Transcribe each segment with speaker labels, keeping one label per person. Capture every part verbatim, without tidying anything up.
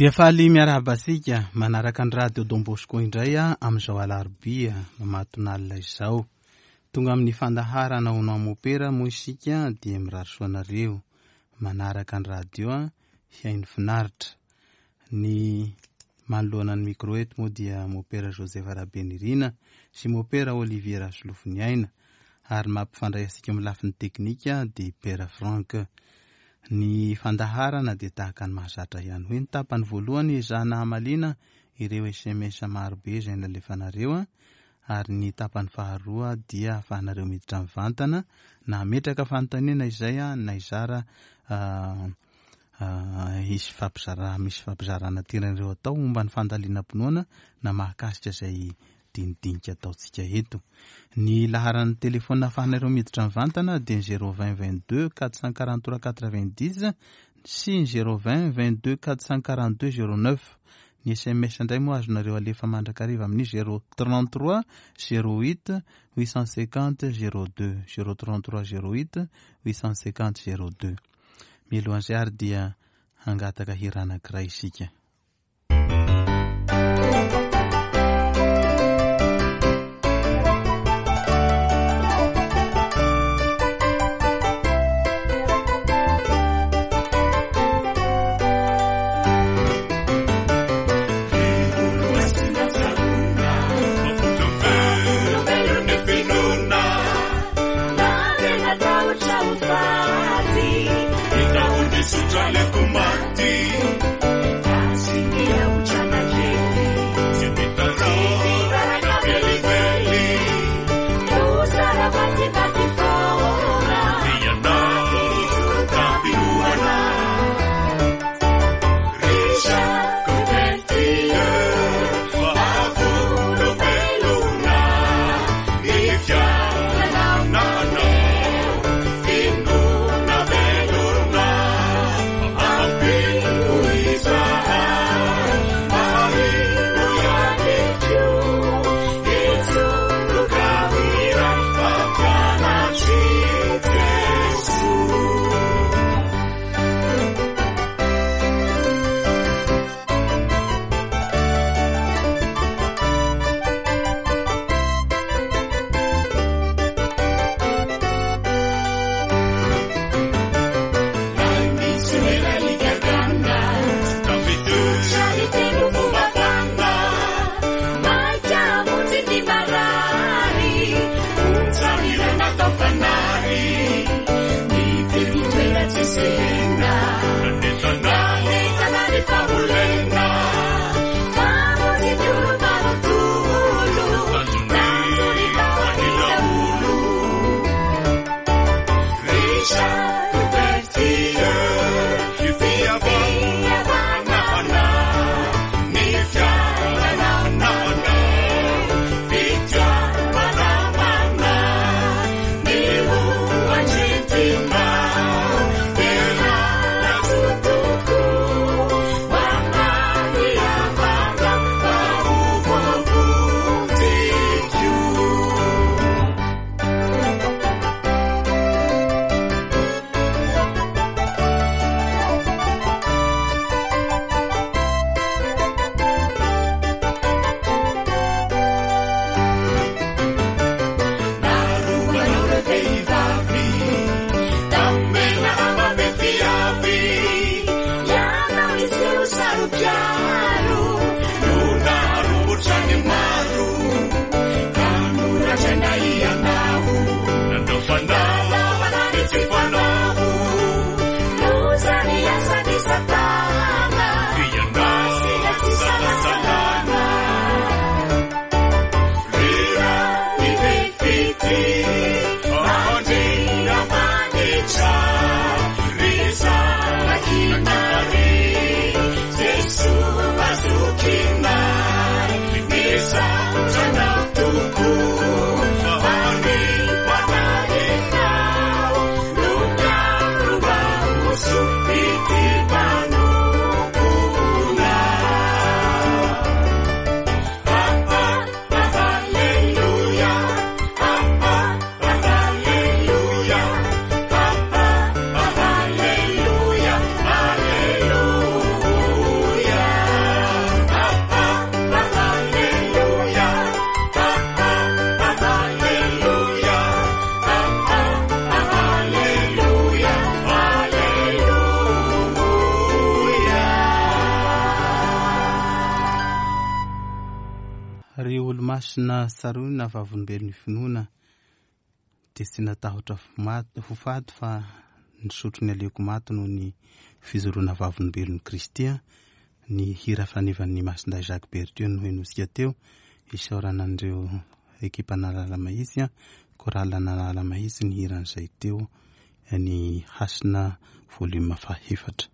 Speaker 1: Dia faly miarahaba antsika manaraka ny Radio Don Bosco indray amin'izao alarobia mamatonalina izao. Tonga amin'ny fandaharana Hono Mopera moa isika dia mirary soa anareo manaraka ny radio hihaino finaritra. Ny manoloana ny micro eto moa dia Mopera Joseph Rabenirina sy Mopera Olivier Rasolofoniaina ary mampifandray antsika amin'ny lafiny teknika dia Père Franck. Ny fandaharana dia tahaka ny mahazatra ihany hoe ny tapany voalohany ezahana hamaliana ireo S M S marobe izay nalefanareo, ary ny tapany faharoa dia ahafahanareo miditra mivantana na hametraka fanontaniana izay na hizara, hisy fampizara, misy fampizarana tianareo atao momba ny fandalinam-pinoana na mahakasika izay dinidinika ataontsika eto. Ny laharan'ny telefona ahafahanareo miditra mivantana dia ny zéro vingt vingt-deux quatre cent quarante-trois quatre-vingt-dix sy ny zéro vingt vingt-deux quatre cent quarante-deux zéro neuf. Ny S M S indray moa azonareo alefa mandrakariva amin'ny zéro trente-trois zéro huit huit cent cinquante zéro deux, zéro trente-trois zéro huit huit cent cinquante zéro deux. Mialohan'izay ary dia hangataka hira anankiray isika.
Speaker 2: Sutra le kumati.
Speaker 1: Ry olo-masina tsaroina vavolombelon'ny finoana dia tsy natahotra ho faty fa nisotro ny aleoko maty noho ny fijoroana vavolombelon'i Kristy. Ny hira fanevan'ny Masindahy Jacques Berthieu no henotsika teo. Isaorana an'ireo ekipa Analamahitsy, chorale Analamahitsy ny hiran'izay teo, ny Hasina volume fahefatra.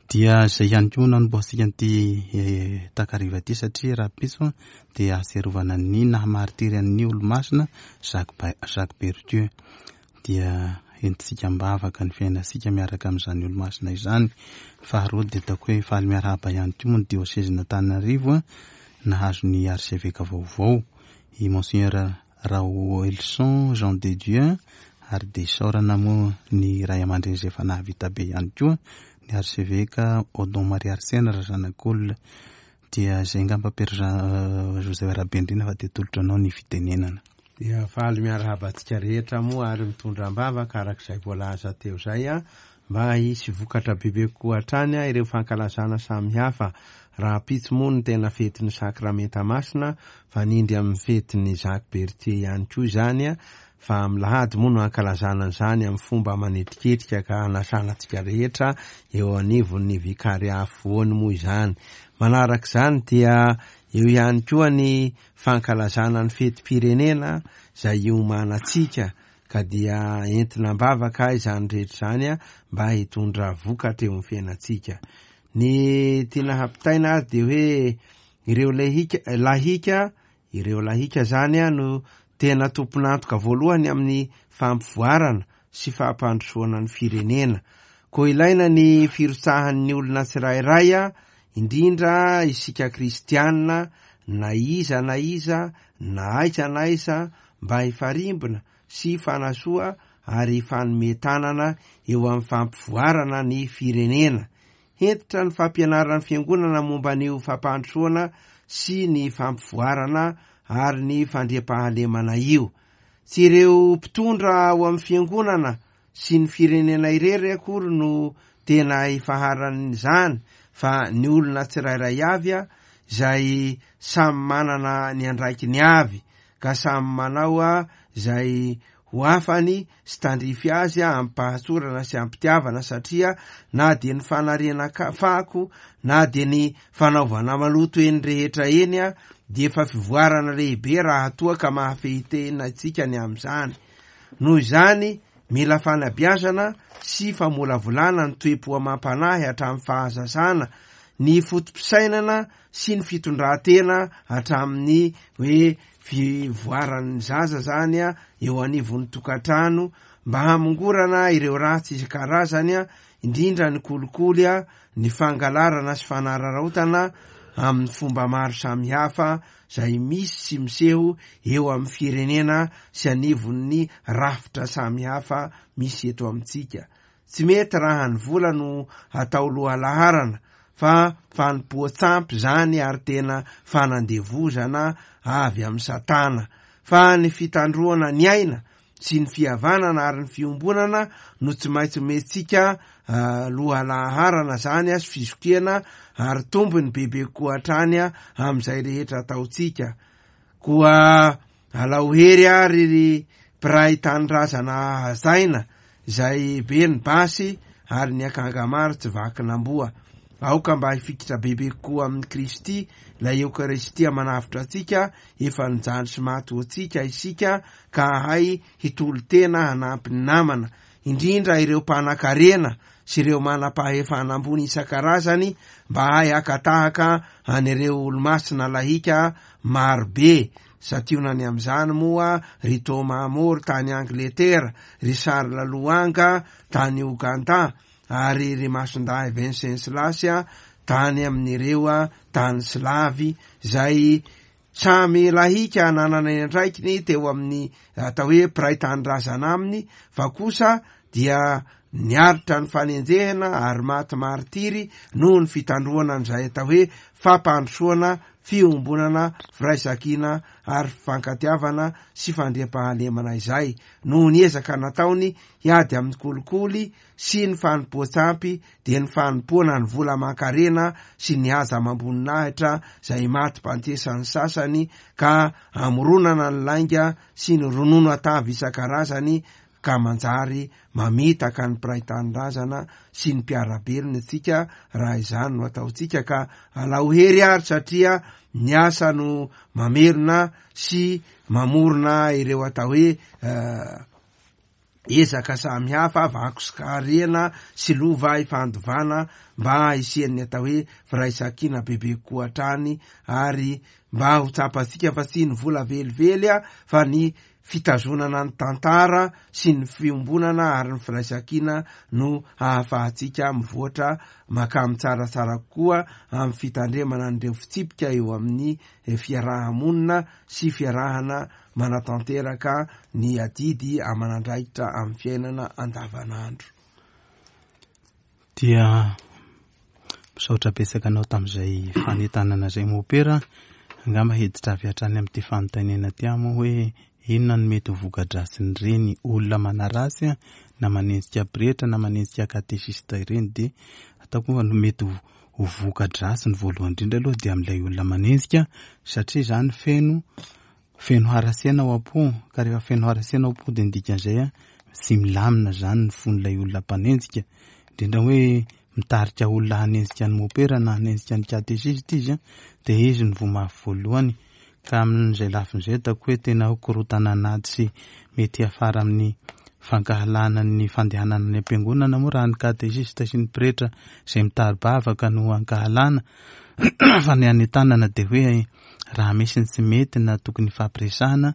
Speaker 1: Dia izay ihany koa nanombohantsika an'ity takariva ity satria rahampitso dia ahatsiarovana ny nahamartiry an'ny olo-masina Jacques Berthieu. Dia entintsika am-bavaka ny fiainantsika miaraka amin'izany olo-masina izany. Faharoa dia ataoko hoe faly miarahaba ihany koa moa ny diosezin'Antananarivo nahazo ny archevêque vaovao, i Monseigneur Raoelson Jean de Dieu, ary dia isaorana moa ny ray aman-dreny izay efa nahavita be ihany koa, ny archevêque Odon Marie Arsène Razanakolona. Dia izay angamba Père Jean Joseph Rabendrina fa dia tolotra anao ny fitenenana.
Speaker 2: Dia faly miarahaba antsika rehetra moa ary mitondra am-bavaka arak'izay voalaza teo izay a, mba hisy vokatra bebe kokoa hatrany a ireo fankalazana samihafa. Rahampitso moa no tena fetin'ny sakramenta masina, fa nindry amin'ny fetin'ny Jacques Berthieu ihany koa izany a, fa amin'ny lahady moa no ankalazana an'izany amin'ny fomba manetriketrika ka hanasana antsika rehetra eo anivon'ny vikaria afovoany moa izany. Manaraka izany dia eo ihany koa ny fankalazana ny fetim-pirenena izay iomanantsika, ka dia entina am-bavaka izany rehetra izany a mba hitondra vokatra eo amin'ny fiainantsika. Ny tiana hampitaina ary dia hoe ireo lahika, lahika, ireo lahika zany a no tena tompon'antoka voalohany amin'ny fampivoarana sy fampandrosoana ny firenena. Koa ilaina ny firotsahan'ny olona tsirairay a, indrindra isika kristianina, na iza na iza, na aiza na aiza, mba hifarimbona sy hifanasoa ary hifanome tanana eo amin'ny fampivoarana ny firenena. Hentitra ny fampianaran'ny fiangonana momba ny fampandrosoana sy ny fampivoarana ary ny fandriampahalemana io. Tsy ireo mpitondra ao amin'ny fiangonana sy ny firenena irery akory no tena ifaharan'izany, fa ny olona tsirairay avy a, izay samy manana ny andraikiny avy, ka samy manao a izay ho afany sy tandrify azy a ampahantsorana sy ampitiavana, satria na dia ny fanariana fako na dia ny fanaovana maloto eny rehetra eny a dia efa fivoarana lehibe raha toa ka mahafehitena antsika ny amin'izany. Noho izany mila fanabeazana sy famolavolana ny toe-po amam-panahy hatramin'ny fahazazana, ny foto-pisainana sy ny fitondran-tena hatramin'ny hoe fivoaran'ny zaza zany a eo anivon'ny tokantrano, mba hamongorana ireo ratsy isan-karazany a, indrindra ny kolikoly a, ny fangalarana sy fanararaotana amin'ny fomba maro samihafa izay misy sy miseho eo amin'ny firenena sy anivon'ny rafitra samihafa misy eto amintsika. Tsy mety raha ny vola no atao lohalaharana, fa fanompoan-tsampy zany ary tena fanandevozana avy amin'ny satana, fa ny fitandroana ny aina sy ny fihavanana ary ny fiombonana no tsy maintsy omentsika lohalaharana zany a, sy fizokiana ary tombony bebe kokoa hatrany a amin'izay rehetra ataontsika. Koa alao hery ary ry mpiray tanindrazana hazaina izay be ny basy ary ny akanga maro tsy vakin'amboa. Aoka mba hifikitra bebe kokoa amin'i Kristy, ilay Eokaristia manavotra antsika, efa nijaly sy maty ho antsika isika, ka hahay hitolo-tena hanampy ny namana, indrindra ireo mpanan-karena sy ireo manam-pahefana ambony isan-karazany, mba hahay haka-tahaka an'ireo olo-masina lahika marobe. Sationany amin'izany moa ry Thomas More tany Angletera, ry Charles Lwanga tany Ouganda, ary ry Masindahy Venceslas tany amin'ireo tany slavy, izay samy lahika nanana ny andraikiny teo amin'ny atao hoe mpiray tanindrazana aminy, fa kosa dia niaritra ny fanenjehana ary maty martiry noho ny fitandroana an'izay atao hoe fampandrosoana, fiombonana, firaisankina ary fifankatiavana sy fandriampahalemana izay noho ny ezaka nataony hiady amin'ny kolikoly sy ny fanompoan-tsampy, dia ny fanompoana ny vola aman-karena sy ny haza amam-boninahitra izay maty bantesan'ny sasany ka amoronana ny lainga sy ny ronono atavy isan-karazany ka manjary mamitaka ny mpiray tanindrazana sy ny mpiara-belona antsika raha izany no ataontsika. Ka alao hery ary satria ny asa no mamerina sy mamorona ireo atao hoe ezaka samihafa, vako sy karena sy lova ifandovana mba hisian'ny atao hoe firaisankina bebe kokoa hatrany, ary mba ho tsapantsika fa tsy ny vola velively a fa ny fitazonana ny tantara sy ny fiombonana ary ny firaisankina no ahafahantsika mivoatra makamy tsaratsara kokoa amin'ny fitandremana an'ireo fitsipika eo amin'ny fiaraha-monina sy fiarahana manatanteraka ny adidy aman'andraikitra amin'ny fiainana andavanandro.
Speaker 1: Dia misaotra betsaka anao tamin'izay fanentanana izay mopera. Angamba hiditra avy hatrany amin'ity fanontaniana ity aho moa hoe inona no mety ho voka-dratsin'ireny olona manaratsy na manenjika pretra na manenjika katesista ireny? Dia ataoko moa no mety ho voka-dratsiny voalohany indrindra aloha dia amin'ilay olona manenjika, satria izany feno feno haratsiana ao am-po, ka rehefa feno haratsiana ao am-po dia ny dikan'izay a tsy milamina izany ny fon'ilay olona mpanenjika, indrindra hoe mitarika olona hanenjika ny mopera na hanenjika ny katesista izy a, dia izy no voa mafy voalohany. Ka amin'izay lafin'izay ataoko hoe tena korotana anaty sy mety hiafara amin'ny fankahalana ny fandehanana any am-piangonana moa raha ny katesista sy ny pretra izay mitari-bavaka no ankahalana. Fa ny anentanana dia hoe raha misy ny tsy mety na tokony hifampiresahana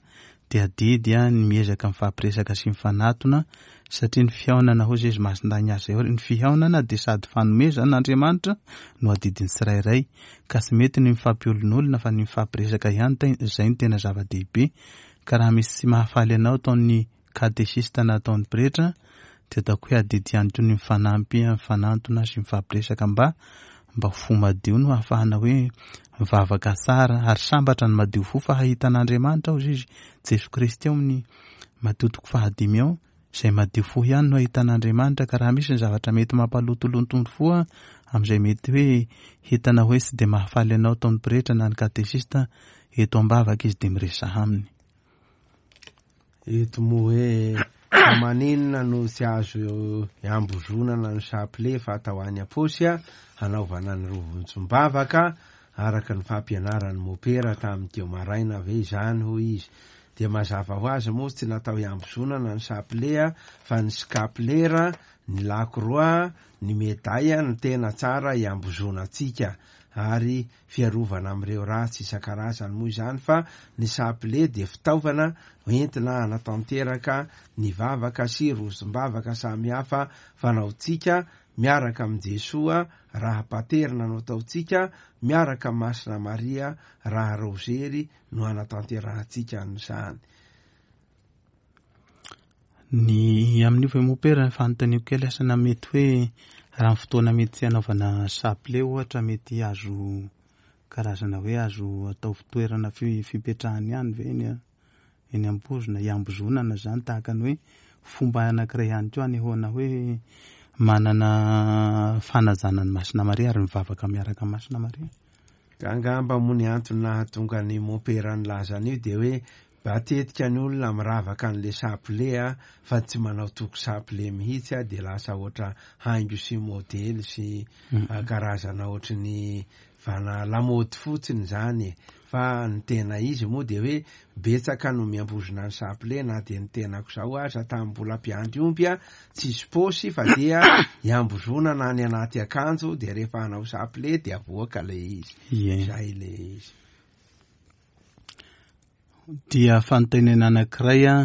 Speaker 1: dia adidy a ny miezaka mifampiresaka sy mifanatona, satria ny fihaonana hoy izy Masindahy Ignace zay, ny fihaonana dia sady fanomezan'Andriamanitra no adidin'ny tsirairay, ka tsy mety ny mifampiolonolona fa ny mifampiresaka ihany izay no tena zava-dehibe. Ka raha misy tsy mahafaly anao ataon'ny katesista na ataon'ny pretra dia ataoko hoe adidy ihany koa ny mifanampy, mifanantona sy mifampiresaka mba mba fo madio no ahafahana hoe mivavaka tsara, ary sambatra ny madio fo fa hahita an'Andriamanitra hoy izy Jesoa Kristy ao amin'ny Matio toko fahadimy ao, izay madio fo ihany no hahita an'Andriamanitra. Ka raha misy ny zavatra mety mampalotoloto ny fo amin'izay mety hoe hitana hoe tsy dia mahafaly anao ataon'ny pretra na ny katesista, eto am-bavaka izy dia miresaha aminy.
Speaker 2: Eto moa hoe maninona no tsy azo iambozonana ny chapelet fa atao any am-paosy a hanaovana ny rovontsom-bavaka araka ny fampianaran'ny mopera tamin'ny teo maraina ve izany hoy izy. Dia mazava ho azy moa tsy natao iambozonana ny chapelet fa ny scapulaire, ny lacroix, ny médaille no tena tsara iambozonantsika, ary fiarovana amin'ireo ratsy isan-karazany moa izany, fa ny chapelet dia fitaovana entina hanatanteraka ny vavaka sy rozom-bavaka samihafa fanaontsika miaraka amin'i Jesoa raha paterina no ataontsika, miaraka amin'i Masina Maria raha rozery no hanatanterahantsika an'izany.
Speaker 1: Ny amin'io ve mopera fanontaniako kely asa na mety hoe raha ny fotoana mety tsy hanaovana chapelet ohatra mety azo karazana hoe azo atao fitoerana fipetrahany ihany ve eny eny am-pozina iambozonana izany, tahaka ny hoe fomba anankiray ihany koa anehoana hoe manana fanajana ny Masina Maria ary mivavaka miaraka amin'ny Masina Maria.
Speaker 2: Ka angamba moa ny antony nahatonga ny mopera nilaza an'io dia hoe matetika ny olona miravaka an'le chapelet a fa tsy manao toko chapelet mihitsy a, dia lasa ohatra haingo sy modely sy karazana ohatry ny vana lamaody fotsiny zany. Fa ny tena izy moa dia hoe betsaka no miambozona ny chapelet, na dia ny tenako zao aza tamin'ny mbola mpiandry omby a tsisy paosy fa dia iambozonana any anaty akanjo, dia rehefa hanao chapelet dia avoaka le izy. Zay le izy.
Speaker 1: Dia fanontaniana anankiray a,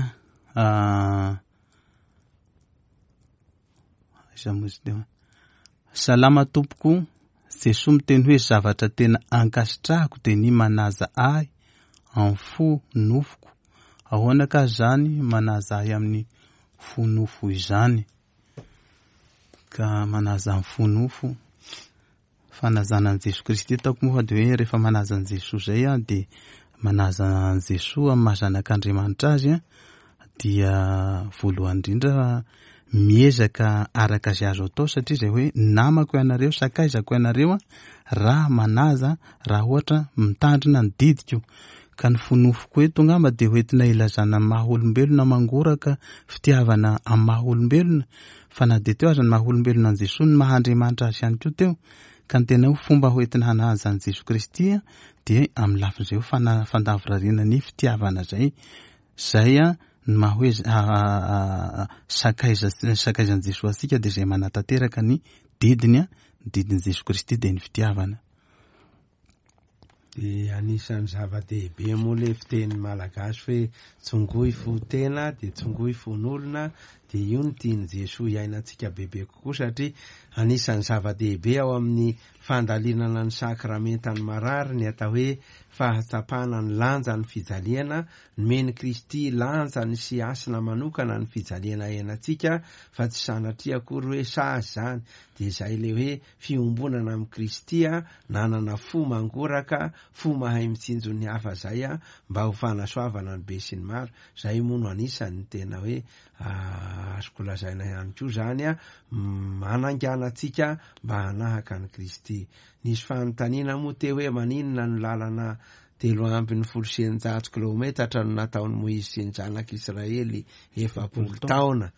Speaker 1: aiza moa izy teo? Salama tompoko, Jesoa miteny hoe zavatra tena ankasitrahako dia ny manaja ahy amin'ny fo nofoko. Ahoana ka zany manaja ahy amin'ny fo nofo izany? Ka manaja amin'ny fo nofo, fanajana an'i Jesoa Kristy ataoko moa fa dia hoe rehefa manaja an'i Jesoa zay a dia Manaja an'i Jesoa amin'ny maha zanak'Andriamanitra azy dia voalohany indrindra miezaka araka izay azo atao, satria izay hoe namako ianareo, sakaizako ianareo raha manaja, raha ohatra mitandrina ny didiko. Ka ny fonofoko eto angamba dia hoentina ilazana ny maha olombelona mangoraka fitiavana amin'ny maha olombelona, fa na dia teo aza ny maha olombelona an'i Jesoa, ny maha Andriamanitra azy ihany koa teo. Ka ny tena hoe fomba hoentina hanaja an'i Jesoa Kristy dia amin'ny lafin'izay hoe fana-, fandavorariana ny fitiavana izay. Izay a, ny maha hoe z-, a, a, a, sakaiza, sakaizan'i Jesoa antsika dia izay manatanteraka ny didiny, ny didin'i Jesoa Kristy dia ny fitiavana.
Speaker 2: Dia anisan'ny zava-dehibe moa ilay fiteny malagasy hoe tsongoy fo tena dia tsongoy fon'olona, dia io no tian'i Jesoa hiainantsika bebe kokoa, satria anisan'ny zava-dehibe ao amin'ny fandalinana ny sakramentan'ny marary ny atao hoe fahatsapana ny lanjan'ny fijaliana. Nomen'i Kristy lanjany sy hasina manokana ny fijaliana iainantsika, fa tsy sanatria akory hoe sazy izany. Dia izay ilay hoe fiombonana amin'i Kristy, nanana fo mangoraka, fo mahay mitsinjo ny hafa izay, mba ho fanasoavana ny be sy ny maro. Izay moa no anisan'ny tena hoe, ah, azoko lazaina ihany koa izany, manaingana antsika mba hanahaka an'i Kristy. Nisy fanontaniana moa teo hoe maninona no lalana telo ambin'ny folo sy eninjato kilometatra no nataon'i Moizy sy ny zanak'Israely efapolo taona.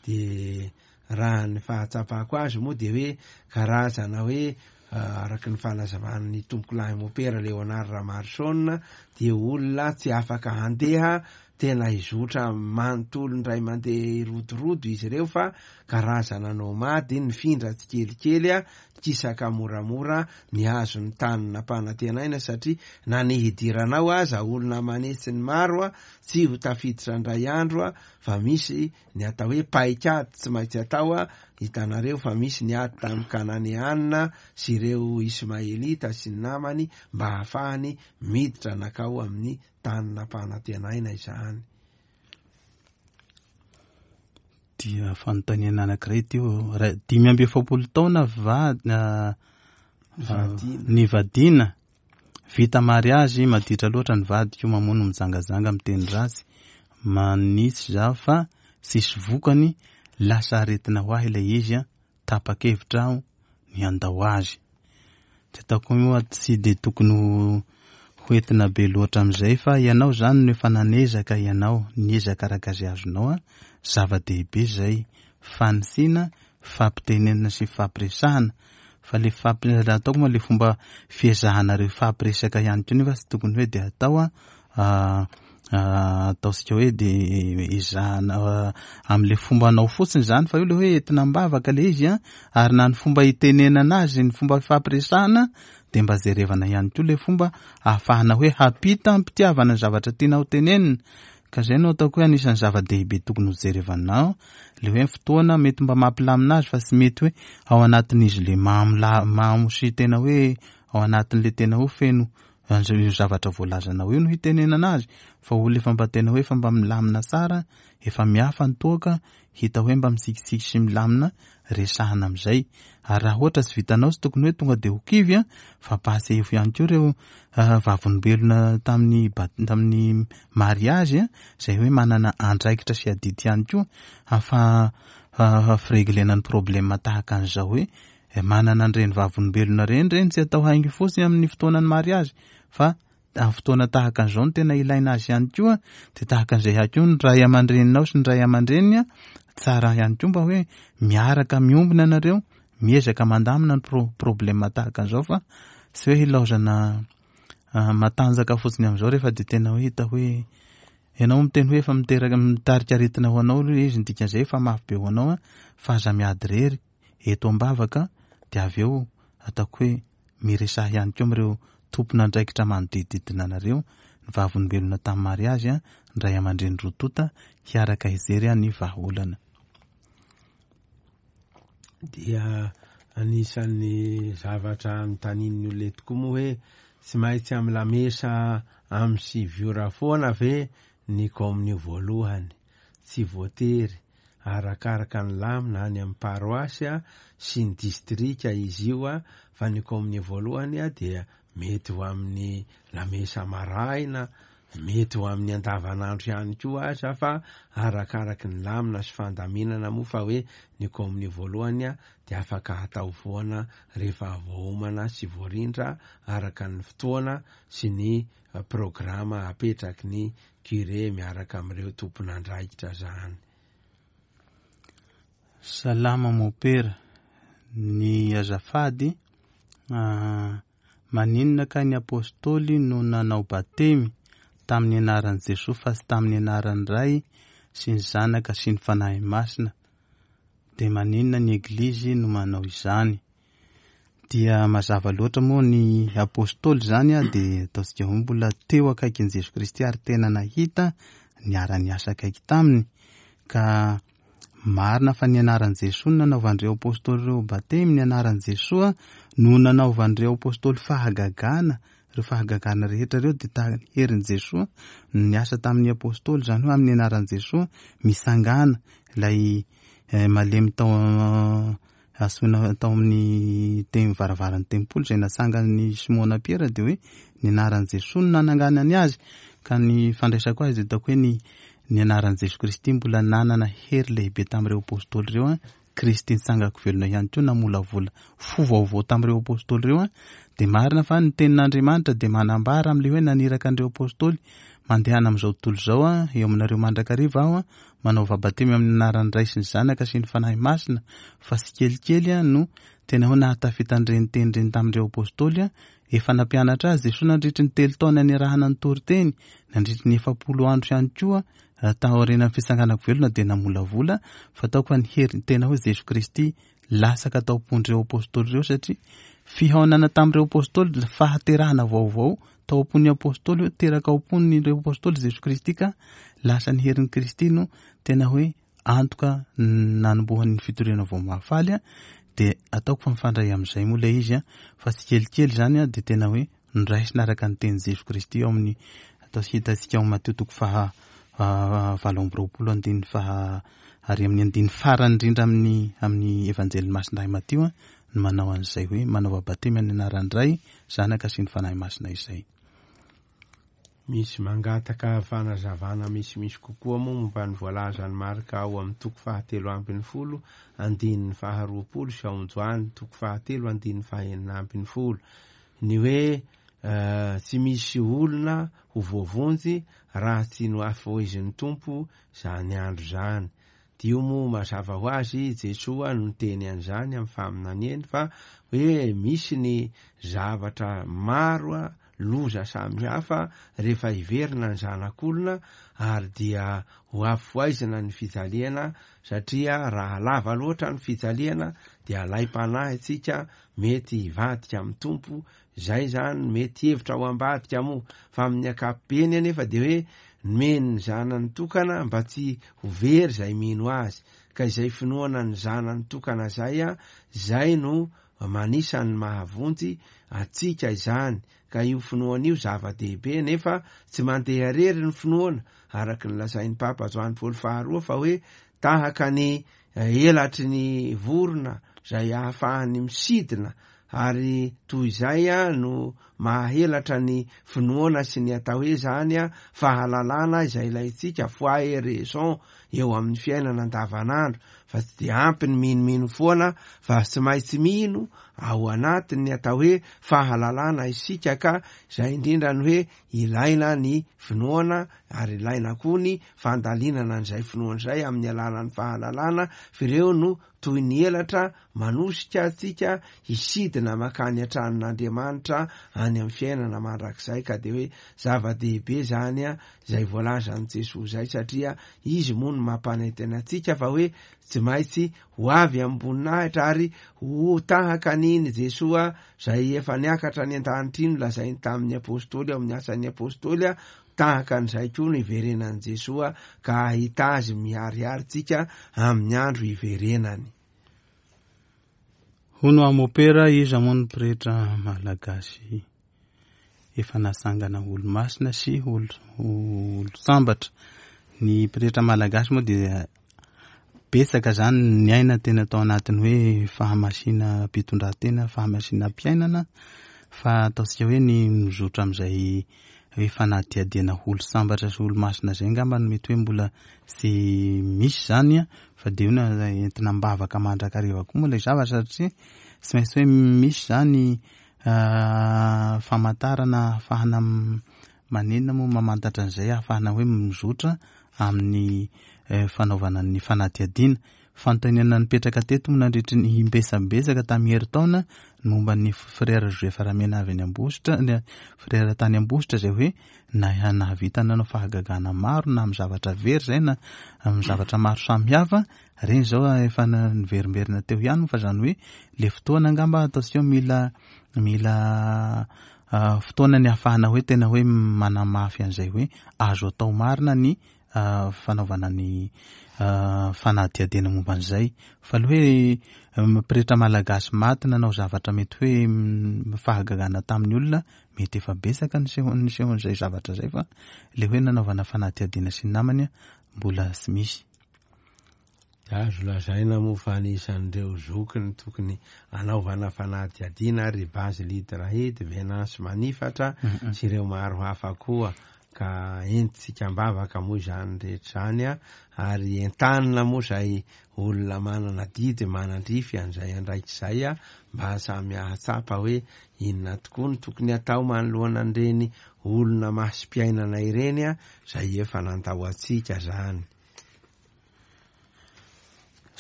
Speaker 2: Dia raha ny fahatsapako azy moa dia hoe karazana hoe, ah, araka ny fanazavan'ny tompokolahy Mopera Léonard Ramarson, dia olona tsy afaka handeha tena hizotra manontolo indray mandeha hirodorodo izy ireo, fa karazana nomady nifindra tsikelikely, a, kisaka moramora ny azon'ny tany nampanantenaina, satria na ny hidiranao aza olona manetsy ny maro, a, tsy ho tafiditra indray andro, a, fa misy ny atao hoe paikady tsy maintsy atao, a, hitanareo fa misy ny ady tamin'ny Kananeanina sy ireo Ismaelita sy ny namany mba hahafahany miditra nakao amin'ny tany nampanantenaina izany.
Speaker 1: Dia fanontaniana anankiray teo, raha dimy amby efapolo taona va, ah,
Speaker 2: Vadina.
Speaker 1: ny vadina, vita mariazy, maditra loatra ny vadiko, mamono mijangajanga, miteny ratsy, manisy za fa tsisy vokany, lasa aretina ho ahy ilay izy, a, tapa-kevitra aho ny handao azy. Tsy ataoko moa tsy dia tokony ho, hoentina be loatra amin'izay, fa ianao zany no efa nanezaka ianao, niezaka araka izay azonao, a, zava-dehibe izay, fanitsina, fampitenenana sy fampiresahana. Fa le fampi-, raha ataoko moa le fomba fiezahanareo fampiresaka ihany koa nefa tsy tokony hoe dia atao, a, a, ataontsika hoe dia ezahana, a, amin'le fombanao fotsiny izany, fa io le hoe entina am-bavaka le izy, a, ary na ny fomba hitenenana azy, ny fomba fampiresahana, dia mba jerevana ihany koa le fomba ahafahana hoe hampita am-pitiavana ny zavatra tiana ho tenenina. Ka izay no ataoko hoe anisan'ny zava-dehibe tokony ho jerevanao, le hoe fotoana mety mba mampilamina azy, fa tsy mety hoe ao anatin'izy le mamo la-, mamo sy tena hoe ao anatin'le tena hoe feno an'izay io zavatra voalazanao io no hitenenana azy, fa olona efa mba tena hoe efa mba milamina tsara, efa miafa ny toaka, hita hoe mba mitsikitsiky sy milamina, resahana amin'izay. Ary raha ohatra tsy vitanao, tsy tokony hoe tonga dia ho kivy, a, fa ampahatsiahivo ihany koa ireo, ah, vavolombelona tamin'ny bat-, tamin'ny mariazy, a, izay hoe manana andraikitra sy adidy ihany koa afa-, ah, fireglena ny problema tahaka an'izao hoe, eh, manana an'ireny vavolombelona ireny, ireny tsy atao haingo fotsiny amin'ny fotoanan'ny mariazy, fa amin'ny fotoana tahaka an'izao no tena ilaina azy ihany koa. Dia tahaka an'izay ihany koa ny ray aman-dreninao sy ny ray aman-dreniny, a, tsara ihany koa mba hoe miaraka miombona ianareo, miezaka mandamina ny pro-, problema tahaka an'izao, fa tsy hoe hilaozana, ah, matanjaka fotsiny amin'izao rehefa dia tena hoe hita hoe ianao miteny hoe efa miteraka, mitarika aretina ho anao aloha izy, ny dikan'izay efa mafy be ho anao, a, fa aza miady irery eto am-bavaka, dia avy eo ataoko hoe miresaha ihany koa amin'ireo tompon'andraikitra manodidididina anareo, ny vavolombelona tamin'ny mariazy, a, ny ray aman-dreny roa tonta, hiaraka hijery ny vahaolana.
Speaker 2: Dia anisan'ny zavatra anontanian'ny olona eto koa moa hoe tsy maintsy amin'ny lamesa amin'ny sivy ora foana ve ny komonio voalohany? Tsy voatery, arakaraka ny lamina any amin'ny paroasy sy ny distrika izy io, a, fa ny komonio voalohany, a, dia mety ho amin'ny lamesa maraina, mety ho amin'ny andavanandro ihany koa aza, fa arakaraky ny lamina sy fandaminana moa, fa hoe ny komonio voalohany a dia afaka atao foana rehefa voaomana sy voarindra araka ny fotoana sy ny programa apetraky ny curé miaraka amin'ireo tompon'andraikitra zany.
Speaker 1: Salama mopera, ny azafady, maninona ka ny apôstôly no nanao batemy tamin'ny anaran'i Jesoa fa tsy tamin'ny anaran'ny Ray sy ny Zanaka sy ny Fanahy Masina? Dia maninona ny Eglizy no manao izany? Dia mazava loatra moa ny apôstôly zany a dia ataontsika hoe mbola teo akaikin'i Jesoa Kristy ary tena nahita niara-niasa akaiky taminy, ka marina fa ny anaran'i Jesoa no nanaovan'ireo apôstôly ireo batemy, ny anaran'i Jesoa no nanaovan'ireo apôstôly fahagagana. Ireo fahagagana rehetra ireo dia tamin'ny herin'i Jesoa no niasa tamin'ny apôstôly, izany hoe amin'ny anaran'i Jesoa misangana ilay malemy tao asoina tao amin'ny tem varavaran'ny tempoly izay natsangan'ny Simona Piera, dia hoe ny anaran'i Jesoa no nananganany azy. Ka ny fandraisako azy dia ataoko hoe ny ny anaran'i Jesoa Kristy mbola nanana hery lehibe tamin'ireo apôstôly ireo a. Kristy nitsangako velona ihany koa namolavola fo vaovao tamin'ireo apôstôly ireo a. Dia marina fa ny tenin'Andriamanitra dia manambara amin'ilay hoe naniraka an'ireo apôstôly mandehana amin'izao tontolo izao a, eo aminareo mandrakariva aho a, manao vabatemy amin'ny anaran'ny Ray sy ny Zanaka sy ny Fanahy Masina, fa tsy kelikely a no tena hoe nahatafita an'ireny teny ireny tamin'ireo apôstôly a. Efa nampianatra azy Jesoa nandritry ny telo taona niarahana nitory teny, nandritry ny efapolo andro ihany koa taorian'ny fitsanganako velona dia namolavola, fa ataoko fa ny hery tena hoe Jesoa Kristy lasaka tao am-pon'ireo apôstôly ireo, satria fihaonana tamin'ireo apôstôly fahaterahana vaovao tao am-pon'ny apôstôly, hoe teraka ao am-pon'ireo apôstôly Jesoa Kristy, ka lasa ny herin'i Kristy no tena hoe antoka nanombohan'ny fitoriana vao mahafaly a. Dia ataoko fa mifandray amin'izay moa ilay izy a, fa tsy kelikely zany a dia tena hoe noraisina araka ny tenin'i Jesoa Kristy ao amin'ny atao hitantsika ao Matio toko faha valo amby roapolo andininy faha ary amin'ny andininy farany indrindra amin'ny amin'ny Evanjelin'i Masindahy Matio a no manao an'izay hoe manao batemy amin'ny anaran'ny Ray, Zanaka sy ny Fanahy Masina izay.
Speaker 2: Misy mangataka fanazavana misimisy kokoa moa momba ny voalazan'ny Marka ao amin'ny toko fahatelo ambin'ny folo andininy faharoapolo sy ao amin'ny Joany toko fahatelo andininy fahenina ambin'ny folo. Ny hoe tsy misy olona ho voavonjy raha tsy nohafohizin'ny Tompo zany andro zany. Dio moa mazava ho azy Jesoa no niteny an'izany amin'ny faminaniany, fa hoe misy ny zavatra maro a loza samihafa rehefa hiverina ny zanak'olona, ary dia ho afohaizina ny fijaliana, satria raha lava loatra ny fijaliana dia alaim-panahy antsika mety hivadika amin'ny Tompo. Zay zany mety hevitra ho ambadika moa, fa amin'ny ankapobeny anefa dia hoe nomeny ny zanany tokana mba tsy ho very zay mino azy, ka izay finoana ny zanany tokana zay a, zay no manisan'ny mahavonjy atsika izany. Ka io finoana io zava-dehibe, nefa tsy mandeha rery ny finoana, araka ny lazain'ny Papa Joany Paoly faharoa, fa hoe tahaka ny elatry ny vorona zay ahafahany misidina, ary toy izay a no mahahelatra ny finoana sy ny atao hoe zany a fahalalana izay ilaintsika, foi et raison, eo amin'ny fiainana andavanandro, fa tsy dia ampy ny minomino foana, fa tsy maintsy mino ao anatin'ny atao hoe fahalalana isika. Ka izay indrindra ny hoe ilaina ny finoana, ary ilaina koa ny fandalinana an'izay finoana izay amin'ny alalan'ny fahalalana, fa ireo no toy ny elatra manosika antsika hisidina makany an-tranon'Andriamanitra any amin'ny fiainana mandrakizay. Ka dia hoe zava-dehibe zany a izay voalazan'i Jesoa izay, satria izy moa no mampanantena antsika fa hoe tsy maintsy ho avy am-boninahitra ary ho tahaka an'iny Jesoa izay efa niakatra any an-danitra iny, lazainy tamin'ny apôstôly ao amin'ny asan'ny apôstôly a, tahaka an'izay koa no hiverenan'i Jesoa, ka hahita azy miharihary tsika amin'ny andro hiverenany.
Speaker 1: Hono amopera, iza moa ny pretra malagasy efa nasangana olo-masina sy olo-sambatra? Ny pretra malagasy moa dia betsaka zany ny aina tena tao anatin'ny hoe fahamasinam-pitondran-tena, fahamasinam-piainana, Fa ataontsika hoe ny mizotra amin'izay hoe fanadihadiana olo sambatra sy olo masina izay angamba no mety hoe mbola tsy misy izany a, fa dia io no entina am-bavaka mandrakariva koa moa ilay zavatra, satria tsy maintsy hoe misy izany famantarana ahafahana manenina moa mamantatra an'izay, ahafahana hoe mizotra amin'ny fanaovana ny fanadihadiana. Fanontaniana nipetraka teto moa nandritry ny imbesabesaka tamin'ny herintaona ny momba ny frère Joseph Ramena avy any Ambositra, ny frère tany Ambositra izay hoe na-, nahavita nanao fahagagana maro na amin'ny zavatra very izay na amin'ny zavatra maro samihafa. Ireny izao efa niverimberina teo ihany moa, fa izany hoe le fotoana angamba ataontsika hoe mila, mila, ah, fotoana ny ahafahana hoe tena hoe manamafy an'izay hoe azo atao marina ny, ah, fanaovana ny, ah, fanadihadiana momba an'izay. Fa aloha hoe, eh, pretra malagasy maty nanao zavatra mety hoe, mm, fahagagana tamin'ny olona, mety efa betsaka ny seho-, ny sehon'izay zavatra izay, fa le hoe nanaovana fanadihadiana sy ny namany mbola tsy misy.
Speaker 2: Azo lazaina moa fa anisan'ireo zokiny tokony anaovana fanadihadiana ry Basile Drahidy, Venance Manifatra
Speaker 1: Mm-mm.
Speaker 2: sy ireo maro hafa koa, ka entintsika am-bavaka moa izany rehetra izany a, ary entanina moa izay olona manana didy manandrify an'izay andraikitra izay a, mba samy hahatsapa hoe inona tokoa no tokony atao manoloana an'ireny olona masom-piainana ireny a, izay efa nandao antsika izany.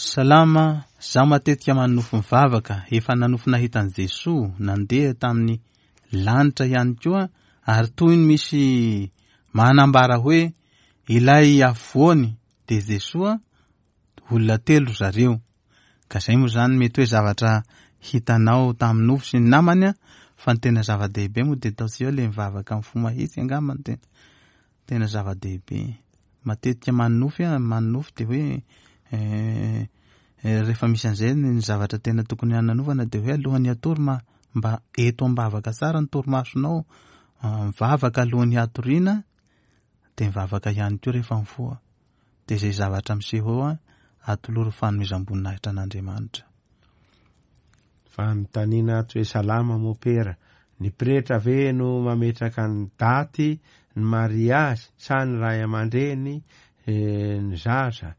Speaker 1: Salama, zaho matetika manonofy mivavaka, efa nanofy nahita an'i Jesoa nandeha tamin'ny lanitra ihany koa, ary toy ny misy manambara hoe ilay afovoany dia Jesoa, olona telo zareo. Ka izay moa izany mety hoe zavatra hitanao tamin'ny nofy sy ny namany a, fa ny tena zava-dehibe moa dia ataontsika hoe ilay mivavaka amin'ny fo mahitsy angamba no tena, tena zava-dehibe. Matetika manonofy a, manonofy dia hoe, eh, eh, rehefa misy an'izay ny zavatra tena tokony hananovana dia hoe alohan'ny hatory ma-, mba eto am-bavaka tsara ny torimasonao, ah, mivavaka alohan'ny hatoriana, dia mivavaka ihany koa rehefa mifoha. Dia izay zavatra miseho eo a, atolory fanomezam-boninahitra an'Andriamanitra.
Speaker 2: Fanontaniana ato hoe salama mopera, ny pretra ve no mametraka ny daty ny mariazy sa ny ray aman-dreny, eh, ny zaza?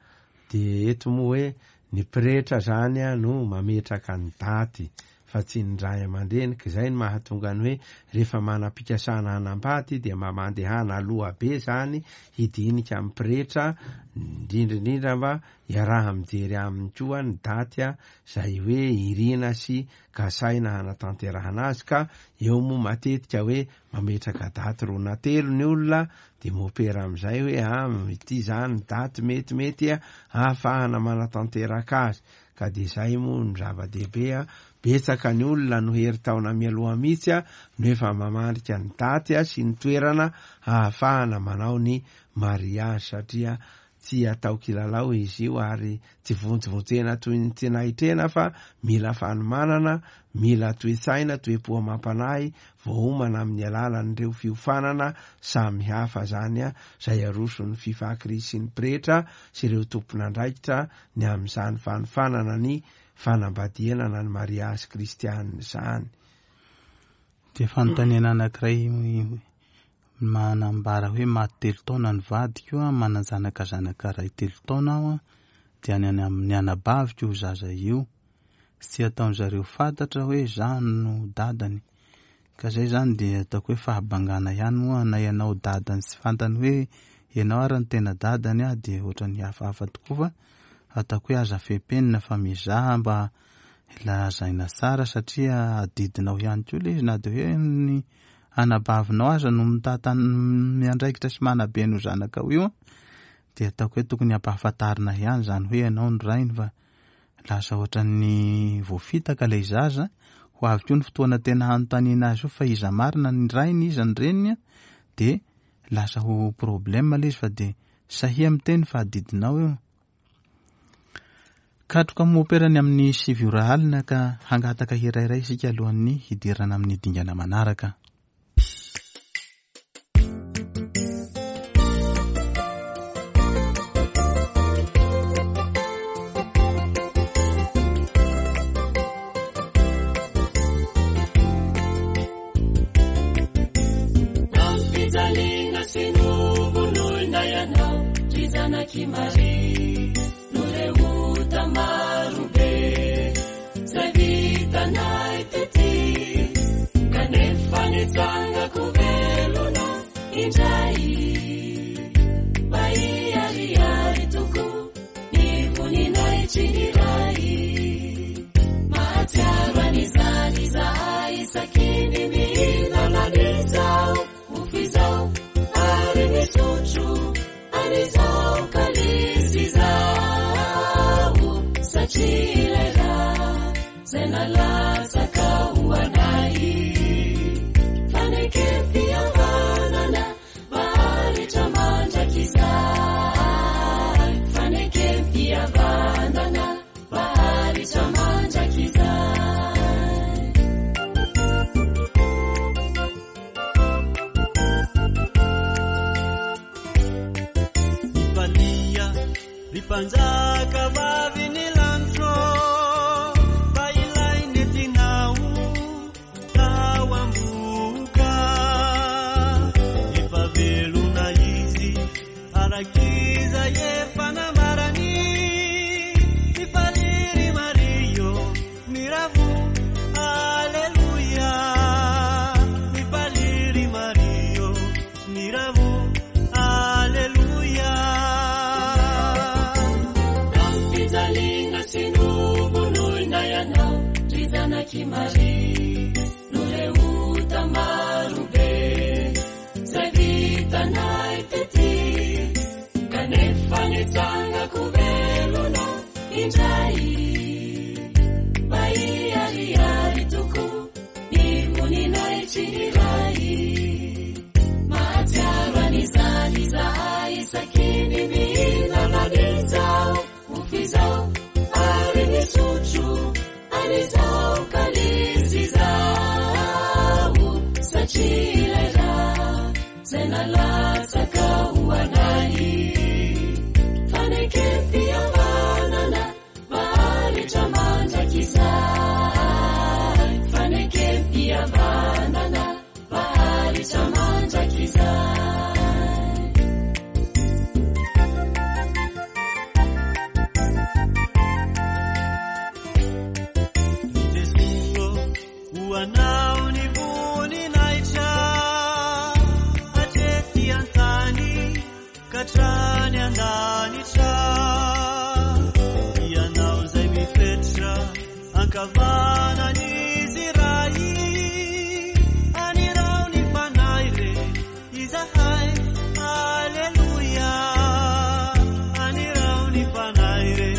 Speaker 2: Dia eto moa hoe ny pretra zany a no mametraka ny daty fa tsy ny ray aman-dreny, ka izay no mahatonga ny hoe rehefa manam-pikasana hanambady dia mba mandehana aloha be zany hidinika amin'ny pretra, indrindra indrindra mba iaraha mijery aminy koa ny daty a, izay hoe irina sy kasaina hanatanterahana azy. Ka eo moa matetika hoe mametraka daty roa na telo ny olona, dia mopera amin'izay hoe, ah, ity zany daty metimety a, ahafahana manatanteraka azy. Ka dia izay moa no zava-dehibe a, betsaka ny olona no herintaona mialoha mihitsy a, no efa mamandrika ny daty a sy ny toerana ahafahana manao ny mariazy, satria tsy atao kilalao izy io ary tsy vonjivonjena toy ny tsy nahitrena, fa mila fanomanana, mila toe-tsaina, toe-po amam-panahy voaomana amin'ny alalan'ireo fiofanana samihafa zany a, izay aroson'ny Fifakri sy ny pretra sy ireo tompon'andraikitra ny amin'izany fanofanana ny fanambadiana na ny mariazy kristianina izany.
Speaker 1: Dia fanontaniana anankiray manambara hoe maty telo taona ny vadiko a, manan-janaka zanaka iray telo taona aho a, dia any amin'ny anabaviko io zaza io, tsy ataon'zareo fantatra hoe za no dadany. Ka zay zany dia ataoko hoe fahabangana ihany moa na ianao dadany tsy fantany hoe ianao ary ny tena dadany a, dia ohatran'ny hafahafa tokoa, fa ataoko hoe aza fepenina fa mizaha mba lazaina tsara, satria adidinao ihany koa ilay izy, na dia hoe ny anabavinao aza no mitantana miandraikitra sy manabe ny zanakao io a, dia ataoko hoe tokony hampahafantarina ihany izany hoe ianao no rainy, fa lasa ohatran'ny voafitaka ilay zaza. Ho avy koa ny fotoana tena hanontaniana azy io fa iza marina ny rainy, iza ny reniny a, dia lasa ho problème ilay izy, fa dia sahia miteny fa adidinao io. Katroka moperany amin'ny sivy ora alina ka hangataka hira iray isika alohan'ny hidirana amin'ny dingana manaraka.
Speaker 3: sy novonoina ianao ry zanak'i Maria noho ireo ota marobe izay vitanay tety kanefa nitsangako velona indray mba hiharihary tokoa ny voninahitry ny Ray. Mahatsiaro an'izany izahay isaky ny mihinana an'izao mofo izao ary misotro an'izao kalisy izao satria ilay rà izay nalatsaka ho anay fanekem-pihavanana maharitra mandrakizay fanekem-pihavanana maharitra mandrakizay.
Speaker 4: Mifalia ry mpanjaka vavy ny lanitro fa ilay nentinao tao am-bohoka efa velona izy arak'izay efa nambarany. Mifalia ry Maria miravo aleloia. Mifalia ry Maria miravo aleloia.
Speaker 3: Nampijaliana sy novonoina ianao ry zanak'i Maria noho ireo ota marobe izay vitanay tety kanefa nitsangako velona indray mba hiharihary tokoa ny voninahitry ny Ray. Mahatsiaro an'izany izahay isaky ny mihinana an'izao mofo izao ary misotro an'izao kalisy izao satria ilay rà izay nalatsaka ho anay fanekem-pihavanana maharitra mandrakizay fanekem-pihavanana maharitra mandrakizay.
Speaker 4: Jesoa ho anao ny voninahitra hatrety an-tany ka hatrany an-danitra. Ianao izay mifetra ankavanan'izy Ray anirao ny Fanahy re izahay aleloia. Anirao ny Fanahy re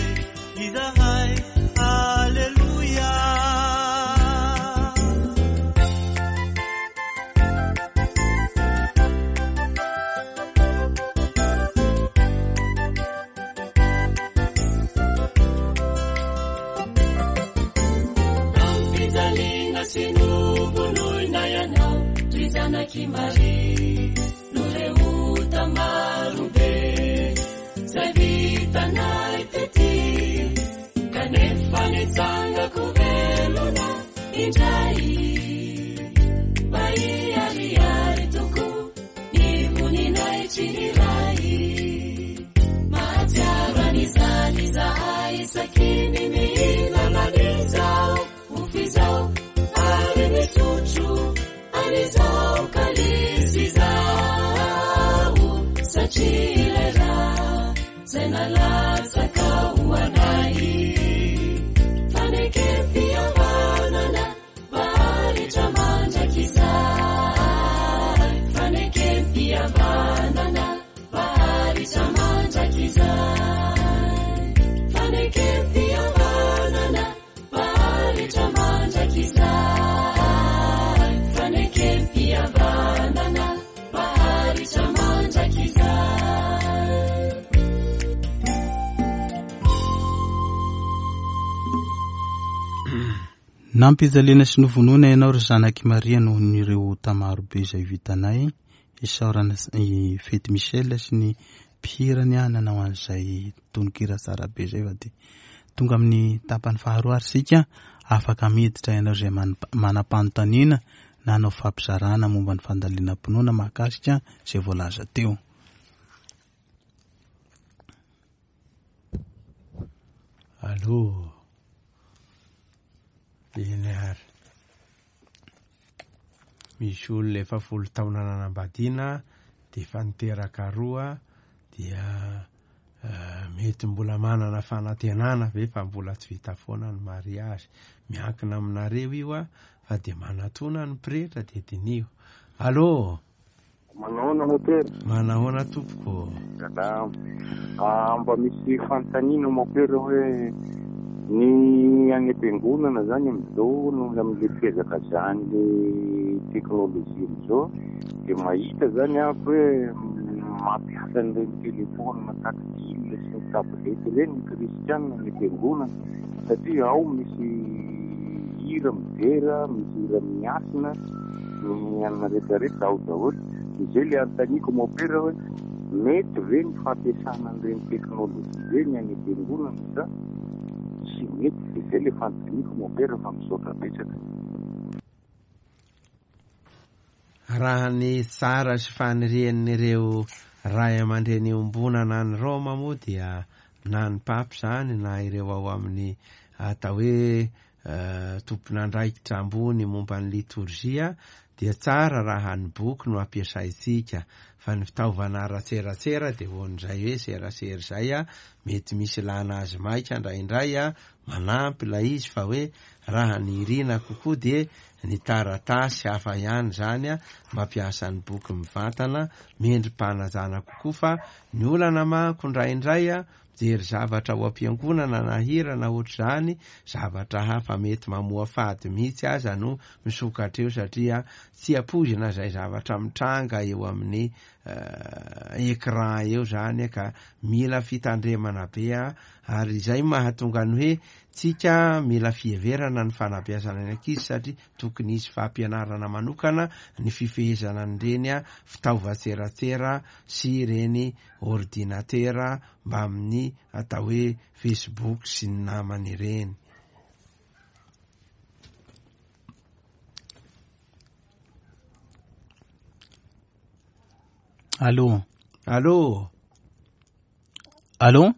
Speaker 4: izahay aleloia.
Speaker 3: Nampijaliana sy novonoina ianao ry zanak'i Maria noho ireo ota marobe izay vitanay tety kanefa nitsangako velona indray mba hiharihary tokoa ny voninahitry ny Ray. Mahatsiaro an'izany izahay isaky ny mihinana an'izao mofo izao ary misotro an'izao kalisy izao satria ilay rà izay nalatsaka ho anay fanekem-pihavanana maharitra mandrakizay fanekem-pihavanana maharitra mandrakizay fanekem-pihavanana maharitra mandrakizay fanekem-pihavanana maharitra mandrakizay.
Speaker 1: Nampijaliana sy novonoina ianao ry zanak'i Maria noho ireo ota marobe izay vitanay. Isaorana i Fety Michel sy ny mpihirany nanao an'izay tononkira tsara be izay fa dia tonga amin'ny tapany faharoa ary isika afaka miditra ianao izay man-, manam-panontaniana na hanao fampizarana momba ny fandalinam-pinoana mahakasika izay voalaza teo.
Speaker 2: Allô. Eny ary. Misy olona efa folo taona nanambadiana dia efa niteraka roa dia eh, mety mbola manana fanantenana ve fa mbola tsy vita foana ny mariazy. Miankina aminareo io a, fa dia manatona ny pretra dia diniho. Allô.
Speaker 5: Manahoana mopera?
Speaker 2: Manahoana tompoko?
Speaker 5: Salama. Ah, mba misy fanontaniana mopera hoe ny any am-piangonana zany amin'izao noho amin'le fihazakazahan'le teknôlôjia amin'izao dia mahita zany aho hoe mampiasa an'ireny telefôna tactile sy ny tablette ireny ny kristianina any am-piangonana satria ao misy hira midera, misy hira miasina, ny anona rehetrarehetra ao daholo. Izay le anontaniako mopera hoe mety ve ny fampiasana an'ireny teknôlôjia ireny any am-piangonana sa tsy mety? Izay le fanontaniako mopera fa misaotra betsaka.
Speaker 2: Raha ny tsara sy fanirian'ireo ray aman-dreny iombonana any Roma moa dia na ny papy zany na ireo ao amin'ny atao hoe eh, tompon'andraikitra ambony momba ny litorjia dia tsara raha ny boky no ampiasaintsika, fa ny fitaovana ara-tseratsera dia hoan'izay hoe serasera izay a, mety misy ilana azy maika indraindray a, manampy ilay izy, fa hoe raha ny irina kokoa dia ny taratasy hafa ihany zany a, mampiasa ny boky mivantana, mendri-panajana kokoa. Fa ny olana manko indraindray a, mijery zavatra ao am-piangonana na hira na ohatr'izany, zavatra hafa mety mamoafady mihitsy aza no misokatra eo, satria tsy ampoizina izay zavatra mitranga eo amin'ny eh, écran eo zany, ka mila fitandremana be a. Ary izay mahatonga ny hoe tsika mila fiheverana ny fanabeazana ny ankizy, satria tokony hisy fampianarana manokana ny fifehezana an'ireny a fitaovan-tseratsera sy ireny ordinatera mbamin'ny atao hoe Facebook sy ny namany ireny.
Speaker 1: Allô.
Speaker 2: Allô.
Speaker 1: Allô.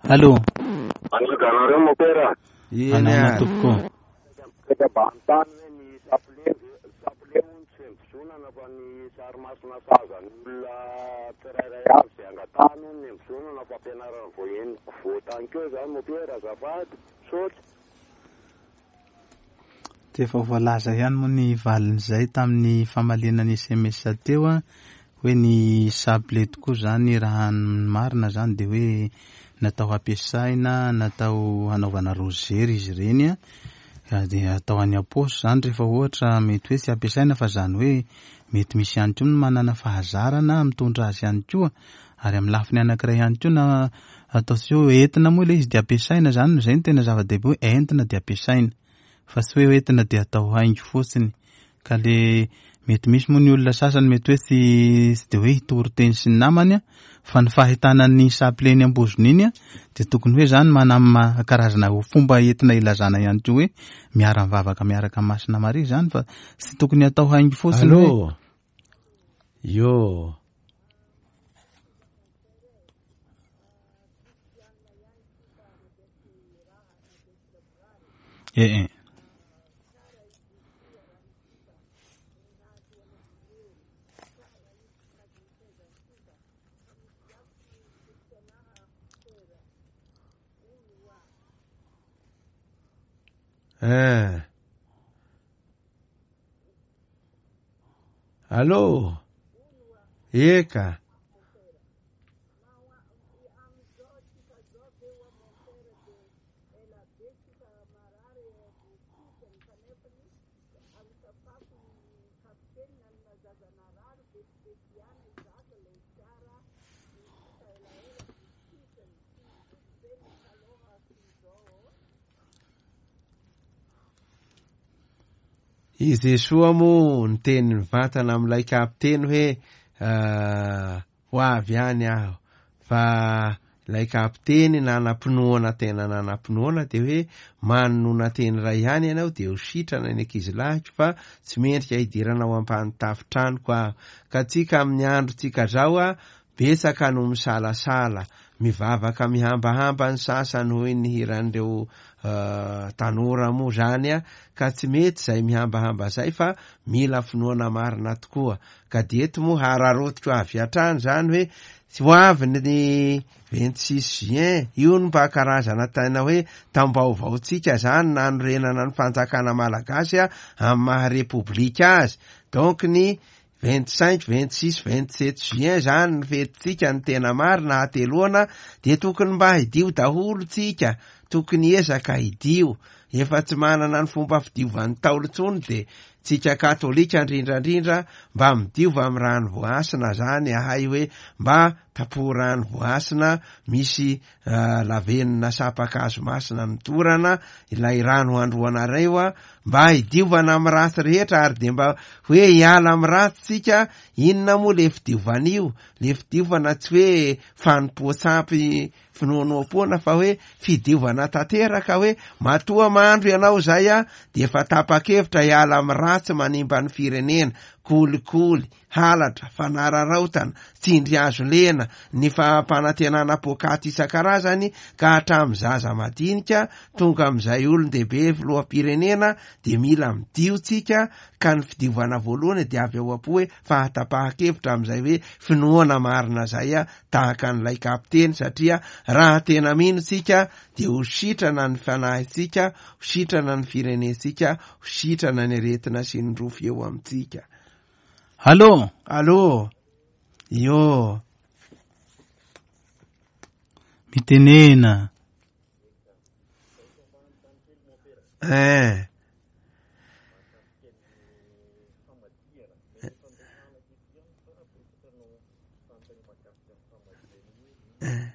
Speaker 1: Allô.
Speaker 5: Anareo mopera.
Speaker 2: Eny
Speaker 1: Manahoana
Speaker 2: ary.
Speaker 1: tompoko?
Speaker 5: Mipetraka ambany hoe ny sapile sapile hono tsy mivozonana fa ny sary masina sazan'ny olona tsirairay avy izay angatahany hono ny mivozonana fampianarana vao henoko vao tany keo zany mopera, azafady, misaotra.
Speaker 1: Dia efa voalaza ihany moa ny valin'izay tamin'ny famaliana ny S M S teo a, hoe ny sapile tokoa zany raha ny marina zany dia hoe natao hampiasaina, natao hanaovana rozery izy ireny a, dia atao any am-paosy zany rehefa ohatra mety hoe tsy ampiasaina, fa zany hoe mety misy ihany koa ny manana fahazarana mitondra azy ihany koa, ary amin'ny lafiny anankiray ihany koa na atao tsy hoe entina moa ilay izy dia ampiasaina zany, izay no tena zava-dehibe hoe entina dia ampiasaina, fa tsy hoe entina dia atao haingo fotsiny. Ka le mety misy moa ny olona sasany mety hoe tsy, tsy dia hoe hitory teny sy ny namany a, fa ny fahitana ny sapile eny ambozony iny a, dia tokony hoe zany manana karazana fomba entina ilazana ihany koa hoe miara-mivavaka miaraka amin'ny Masina Maria zany, fa tsy tokony atao haingo fotsiny hoe
Speaker 2: Allô. Yo.
Speaker 1: Eh, eh.
Speaker 2: Eh. Allô. Eka. I Jesoa moa niteny mivantana amin'ilay kapiteny hoe, ah, ho avy any aho, fa ilay kapiteny nanam-pinoana tena nanam-pinoana de hoe manonona teny iray ihany ianao de ho sitrana ny ankizilahiko fa tsy mendrika hidirana ao ampahany tafitranoko aho. Ka tsika amin'ny androntsika zao a betsaka no misalasala, mivavaka mihambahamba ny sasany hoy ny hiran'ireo uh, tanora moa zany a, ka tsy mety zay mihambahamba zay fa mila finoana marina tokoa. Ka de eto moa hararotiko avy hatrany zany hoe tsy ho avy ny vingt-six juin io no mba karazana tena hoe taom-baovaontsika zany nanorenana ny fanjakana malagasy a amin'ny maha repoblika azy. Donc ny vingt-cinq, vingt-six, vingt-sept juin zany ny fetintsika ny tena marina hateloana, de tokony mba hidio daholo tsika, tokony ezaka hidio. Efa tsy manana ny fomba fidiovan'ny Ntaolo intsony de tsika katolika indrindrandrindra mba midiova amin'ny rano voasina zany ahay hoe mba tapoho rano voasina misy uh, lavenona sapakazo masina mitorana ilay rano androanareo a, mba hidiovana amin'ny ratsy rehetra ary de mba hoe hiala amin'ny ratsy tsika. Inona moa le fidiovana io? Le fidiovana tsy hoe fanompoan-tsampy finoanoam-poana fa hoe fidiovana tanteraka, hoe matoa mandro ianao zay a de efa tapa-kevitra hiala amin'ny ratsy manimba ny firenena, kolikoly, halatra, fanararaotana, tsindry hazo lena, ny fampanantenana pokaty isan-karazany ka hatramin'ny zaza madinika tonga amin'izay olon-dehibe filoham-pirenena de mila midio tsika. Ka ny fidiovana voalohany de avy ao am-po hoe fahatapahan-kevitra amin'izay hoe finoana marina zay a, tahaka an'ilay kapiteny, satria raha tena mino tsika de ho sitrana ny fanahintsika, ho sitrana ny firenentsika, ho sitrana ny aretina sy ny rofy eo amintsika.
Speaker 1: Allô?
Speaker 2: Allô? Io.
Speaker 1: Mitenena.
Speaker 2: Eh. Eh.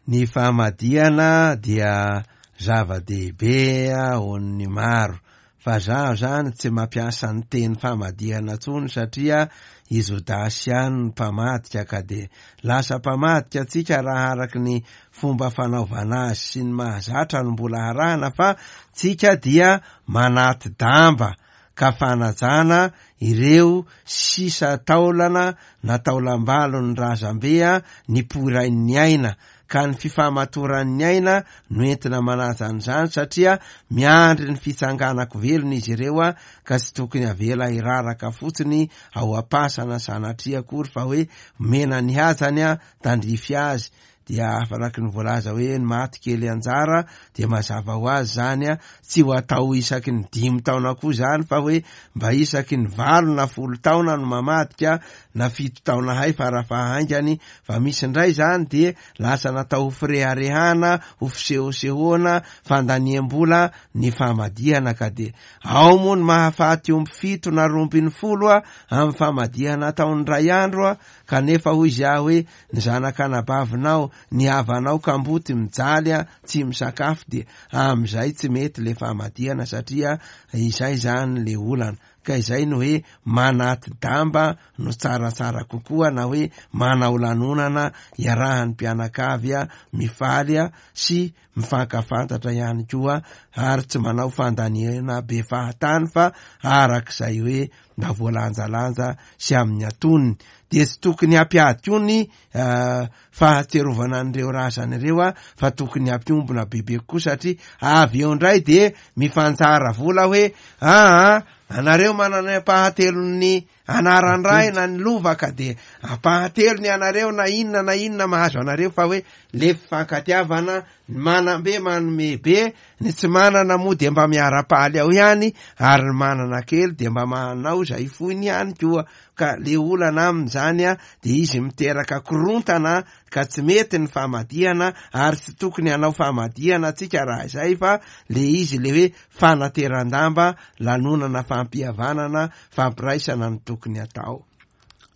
Speaker 2: Ny famadihana dia zava-dehibe ho an'ny maro, fa zaho zany tsy mampiasa ny teny famadihana intsony satria i Jodasy ihany no mpamadika, ka de lasa mpamadika antsika raha araky ny fomba fanaovana azy sy ny mahazatra no mbola harahana, fa tsika dia manaty damba ka fanajana ireo sisa taolana na taolam-balon'ny razambe a nipoiran'ny aina, ka ny fifamatoran'ny aina no entina manaja an'izany, satria miandry ny fitsanganako velona izy ireo a, ka tsy tokony avela hiraraka fotsiny ao am-pasana sanatria akory, fa hoe omena ny hajany a tandrify azy. Dia afaraky ny voalaza hoe ny maty kely anjara dia mazava ho azy zany a, tsy ho atao isaky ny dimy taona koa zany, fa hoe mba isaky ny valo na folo taona no mamadika na fito taona hay farafahaingany. Fa misy indray zany dia lasa natao ho fireharehana, ho fisehosehoana, fandaniam-bola ny famadihana, ka dia ao moa ny mahafaty omby fito na roa ambin'ny folo a amin'ny famadihana ataon'ny ray andro a, kanefa hoy izy aho hoe ny zanak'anabavinao, ny havanao kamboty mijaly a tsy misakafo, dia amin'izay tsy mety le famadihana, satria izay zany le olana. Ka izay no hoe manaty damba no tsaratsara kokoa, na hoe manao lanonana iarahan'ny mpianakavy a mifaly a sy mifankafantatra ihany koa, ary tsy manao fandaniana be fahatany fa arak'izay hoe mba voalanjalanja sy amin'ny atonony. Dia tsy tokony hampiady koa ny uh, fahatserovana an'ireo razana ireo a, fa tokony hampiombona bebe kokoa, satria avy eo indray dia mifanjara vola hoe aa anareo manana ampahatelon'ny anaran-dray na ny lova, ka dia ampahatelony anareo na inona na inona mahazo anareo, fa hoe le fifankatiavana, ny manam-be manome be, ny tsy manana moa dia mba miara-paly ao ihany, ary ny manana kely dia mba manao izay foiny ihany koa. Ka le olana amin'izany a dia izy miteraka korontana, ka tsy mety ny famadihana, ary tsy tokony hanao famadihana antsika raha izay, fa le izy le hoe fanateran-damba, lanonana fampihavanana, fampiraisana no tokony atao.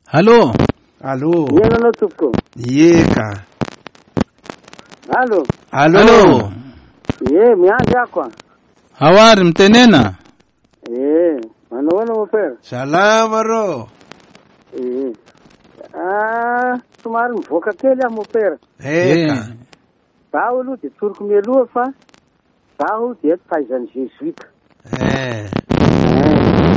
Speaker 1: Allô?
Speaker 2: Allô?
Speaker 6: Ianao anao tompoko?
Speaker 2: Ie ka.
Speaker 6: Allô?
Speaker 2: Allô?
Speaker 1: Allô?
Speaker 6: Ie, miandry ako a.
Speaker 1: Ao ary mitenena.
Speaker 6: Eh, manao ahoana mopera?
Speaker 2: Salama rô.
Speaker 6: Eh. Ah, somary mivoaka kely aho mopera.
Speaker 2: Eka.
Speaker 6: Zaho aloha dia tsoriko mialoha fa zaho dia taizan'ny Jésuite.
Speaker 2: Eh.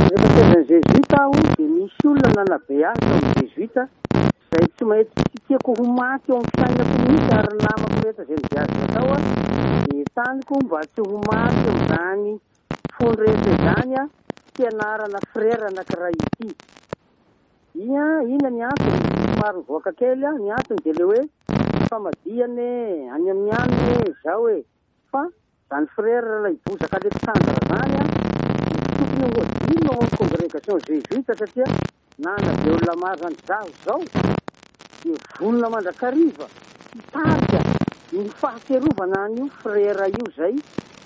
Speaker 6: Rehefa taizan'ny Jésuite aho dia misy olona nanabe ahy tao amin'ny Jésuite izay tsy maintsy tsy tiako ho maty eo amin'ny fiainako mihitsy ary ny namako rehetra izay niviazana tao a dia taniko mba tsy ho maty amin'izany fony rehetra izany a fianarana frera anankiray ity. Ia, inona ny antony? Somary mivoaka kely a, ny antony dia le hoe famadihana e, any amin'ny any e, zao e. Fa zany frera ilay Bozaka Alexandre zany a, tokony ho adino ao amin'ny congrégation jésuite satria nanabe olona maro zany. Zaho zao dia vonona mandrakariva hitarika ny fahatsiarovana an'io frera io zay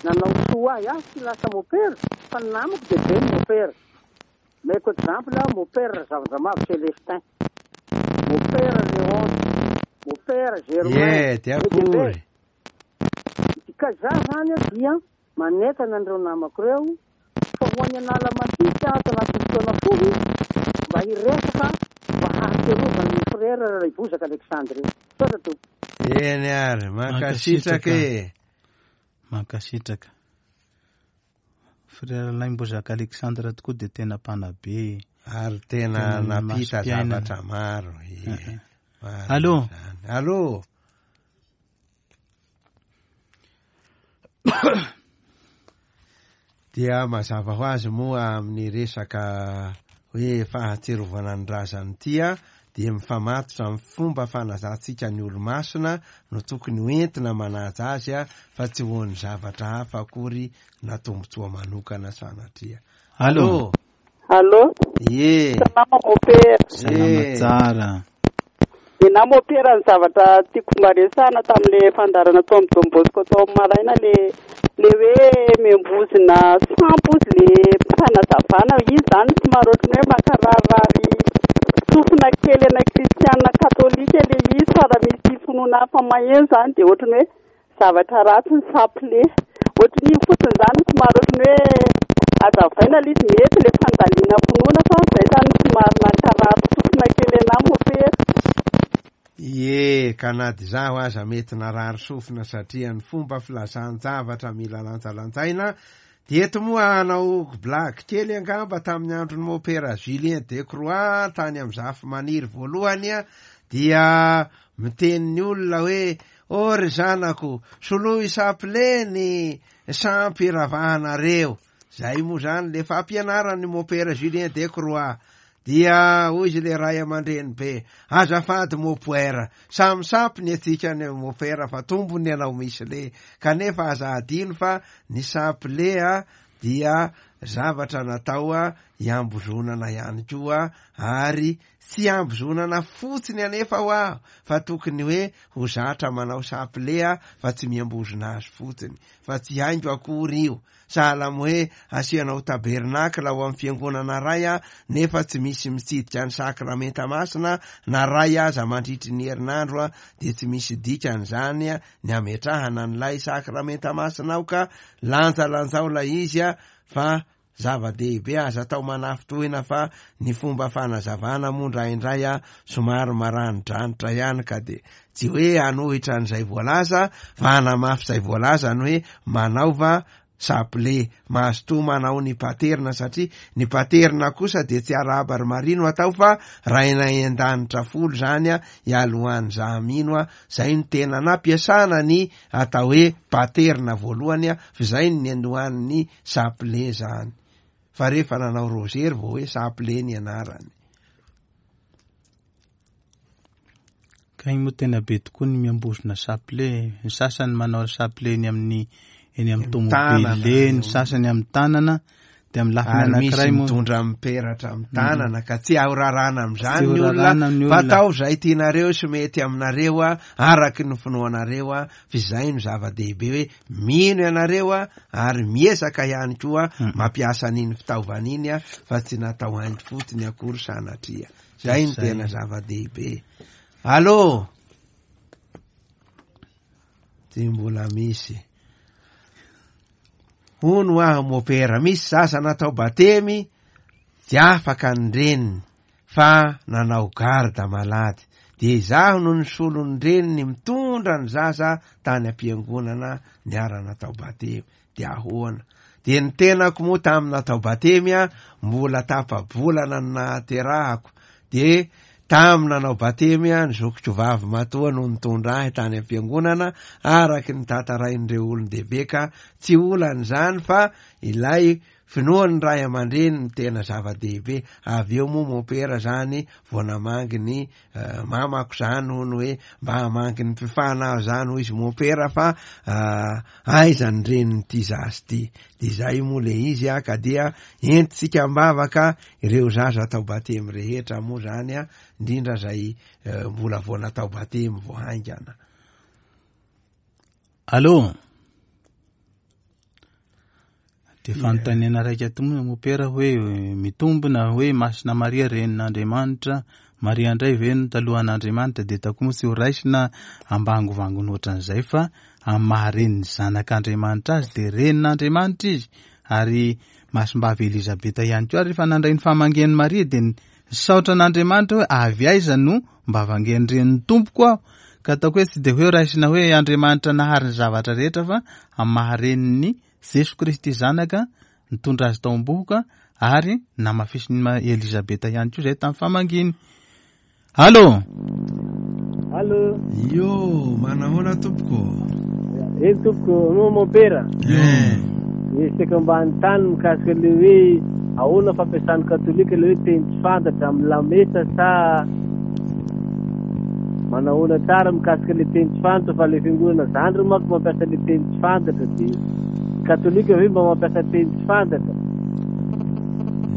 Speaker 6: nanao soa ahy. Aho tsy lasa mopera fa ny namako dia be ny mopera. Meko exemple, mopera Razavandramavo Célestin, mopera Léon, mopera Germain.
Speaker 2: Ye, dia akory.
Speaker 6: Ka za zany a dia manentana an'ireo namako ireo fa ho any Analamahitsy ato anatin'ny fotoana fohy mba hiresaka mba hahatsiarovana ny frera Ray Bozaka Alexandre io. Misaotra tompoko.
Speaker 2: Eny ary, mankasitraka e.
Speaker 1: Mankasitraka. Frera Laimbozaka Alexandre tokoa dia tena mpanabe.
Speaker 2: Ary tena
Speaker 1: Tena
Speaker 2: nampita
Speaker 1: masom-piainana.
Speaker 2: zavatra maro. Ie.
Speaker 1: Eh,
Speaker 2: Maro
Speaker 1: Allô?
Speaker 2: izany. Allô? Dia mazava ho azy moa amin'ny resaka hoe fahatsiarovana ny razany ity a, dia mifamatotra amin'ny fomba fanajantsika ny olo-masina no tokony hoentina manaja azy a, fa tsy ho an'ny zavatra hafa akory na tombontsoa manokana sanatria.
Speaker 1: Allô?
Speaker 7: Allô?
Speaker 2: Ie.
Speaker 7: Salama mopera.
Speaker 1: Salama
Speaker 2: Eh.
Speaker 1: tsara.
Speaker 7: Dia na mopera ny zavatra tiako mba resahana tamin'le fandaharana tao amin'ny Don Bosco tao amin'ny maraina le le hoe miambozona sampy ozy le fanazavana izy zany somary ohatran'ny hoe mankararary sofina kely ana kristiana katolika le izy fa raha misy finoana hafa maheno zany dia ohatran'ny hoe zavatra ratsy ny saple. Ohatran'iny fotsiny zany somary ohatran'ny hoe azavaina le izy mety le fandaliana finoana fa zay zany somary mankarary sofina kely ana mopera.
Speaker 2: Ie, ka na dia zaho aza mety narary sofina satria ny fomba filazan-javatra mila lanjalanjaina. Dia eto moa hanao blague kely angamba tamin'ny andron'ny mopera Julien Decroix tany amin'ny Zafimaniry voalohany a, dia miteny ny olona hoe ô ry zanako, soloy saple ny sampy ravahanareo. Zay moa zany le fampianaran'ny mopera Julien Decroix. Dia hoy izy le ray aman-dreny be, azafady mopera, samy sampy ny antsika ny mopera fa tombony ianao misy le, kanefa aza adino fa ny saple a dia zavatra natao a hiambozonana ihany koa, ary tsy hiambozonana fotsiny anefa ho aho fa tokony hoe ho zatra manao saple a fa tsy miambozona azy fotsiny, fa tsy haingo akory io. Sahala amin'ny hoe asianao tabernakla ao amin'ny fiangonana ray a, nefa tsy misy mitsidika ny sakramenta masina na ray aza mandritry ny herinandro a, dia tsy misy dikany zany a ny ametrahana an'ilay sakramenta masina ao, ka lanjalanjao ilay izy a, fa zava-dehibe aza atao manafintohina fa ny fomba fanazavana moa indraindray a somary maranidranitra ihany, ka de tsy hoe hanohitra an'izay voalaza fa hanamafy izay voalaza ny hoe manaova saple, mazotoa manao ny paterna, satria ny paterna kosa dia tsy arahaba ry Maria no atao fa Rainay an-danitra folo zany a, ialohan'ny za mino a, zay no tena nampiasana ny atao hoe paterna voalohany a, fa zay no niandohan'ny saple zany. Fa rehefa nanao rozery vao hoe saple ny anarany.
Speaker 1: Ka iny moa tena be tokoa ny miambozona saple. Ny sasany manao saple eny amin'ny eny amin'ny
Speaker 2: Tanana.
Speaker 1: tomobile, ny sasany amin'ny tanana, dia amin'ny lafiny
Speaker 2: Ary misy
Speaker 1: anankiray moa
Speaker 2: mitondra miperatra amin'ny tanana, ka tsy ahorarana amin'izany
Speaker 1: Tsy
Speaker 2: ny olona,
Speaker 1: horarana amin'ny
Speaker 2: fa
Speaker 1: olona.
Speaker 2: atao izay tianareo sy mety aminareo a, araky ny finoanareo a, fa izay no zava-dehibe hoe mino ianareo a, ary miezaka ihany koa
Speaker 1: Mm.
Speaker 2: mampiasa an'iny fitaovana iny a, fa tsy natao haingo fotsiny akory sanatria. Zay no
Speaker 1: Zay.
Speaker 2: tena zava-dehibe. Allô? Tsy mbola misy. Hono aho mopera, misy zaza natao batemy tsy afaka ny reniny fa nanao garda malady. De izaho no nisolo ny reniny mitondra ny zaza tany am-piangonana niara-natao batemy. De ahoana? De ny tenako moa tamin'ny natao batemy a, mbola tapa-bolana ny nahaterahako. De tamin'ny nanao batemy a, ny zokiko vavy matoa no nitondra ahy tany am-piangonana araky ny tantarain'ireo olon-dehibe ka tsy olana izany fa ilay finoan'ny ray aman-dreny no tena zava-dehibe. Avy eo moa mopera zany vao namangy ny uh, mamako zany hono hoe mba hamangy ny mpifana aho zany hoy izy mopera fa uh, aiza ny renin'ity zaza ity. De zay moa le izy a, ka dia entintsika am-bavaka ireo zaza atao batemy rehetra moa zany a, indrindra zay uh, mbola vao natao batemy vao haingana.
Speaker 1: Allô? De fanontaniana raika to moa mopera hoe mitombina hoe Masina Maria renin'Andriamanitra, Maria indray ve no talohan'Andriamanitra, de tako moa tsy ho raisina ambangovangony ohatran'izay fa amin'ny maha renin'ny zanak'Andriamanitra azy de renin'Andriamanitra izy. Ary Masimbavy Elizabeta ihany koa rehefa nandray ny famangian'i Maria de nisaotra an'Andriamanitra hoe avy aiza no mba vangian'ny renin'ny tompoko aho. Ka ataoko hoe tsy de hoe raisina hoe Andriamanitra nahary ny zavatra rehetra fa amin'ny maha renin'ny Jesoa Kristy zanaka nitondra azy tao am-bohoka ary namafisin'i Elizabeta ihany koa izay tamin'ny famanginy. Allô?
Speaker 8: Allô?
Speaker 2: Io, manahoana tompoko?
Speaker 8: Eny tompoko, no mopera.
Speaker 2: Eh.
Speaker 8: Nisy ambany tany mikasika le hoe ahoana fampiasan'ny katolika le hoe teny tsy fantatra amin'ny lamesa sa manahoana tsara mikasika le teny tsy fantatra fa le fiangonana zandry manko mampiasa le teny tsy fantatra de katolika ve mba mampiasa teny tsy fantatra?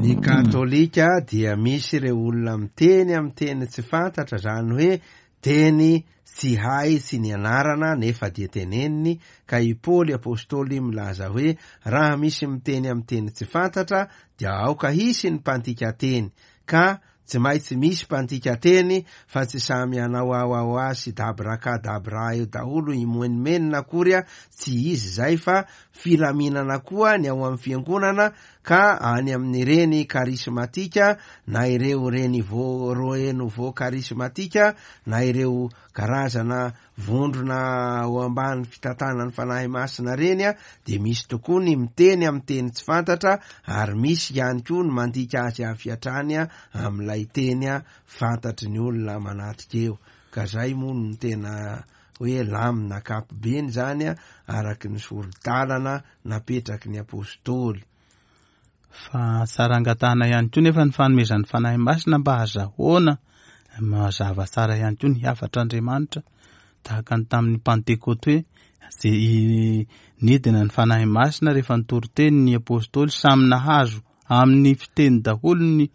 Speaker 2: Ny katolika dia misy ireo olona miteny amin'ny teny tsy fantatra, zany hoe teny tsy hay tsy nianarana nefa dia teneniny, ka i Paoly apôstôly milaza hoe raha misy miteny amin'ny teny tsy fantatra dia aoka hisy ny mpandika teny, ka tsy maintsy misy mpandika teny fa tsy samy hanao aoaoa sy dabraka dabra eo daholo imoenomenina akory a, tsy izy zay fa filaminana koa ny ao amin'ny fiangonana ka any amin'ireny karismatika na ireo renivo renouveau karismatika na ireo karazana vondrona ao ambany fitantanan'ny Fanahy Masina reny a, de misy tokoa ny miteny amin'ny teny tsy fantatra ary misy ihany koa ny mandika azy avy hatrany a amin'ilay teny a fantatry ny olona manatrika eo. Ka zay moa no tena hoe lamina ankapobeny zany a, araky ny sori-dalana napetraky ny apôstôly.
Speaker 1: Fa tsara angatahana ihany koa nefa ny fanomezan'ny Fanahy Masina mba hazahoana mazava tsara ihany koa ny hafatr'Andriamanitra, tahaka ny tamin'ny Pantekoty hoe zay nidina ny Fanahy Masina rehefa nitory teny ny apôstôly, samy nahazo amin'ny fiteny daholo ny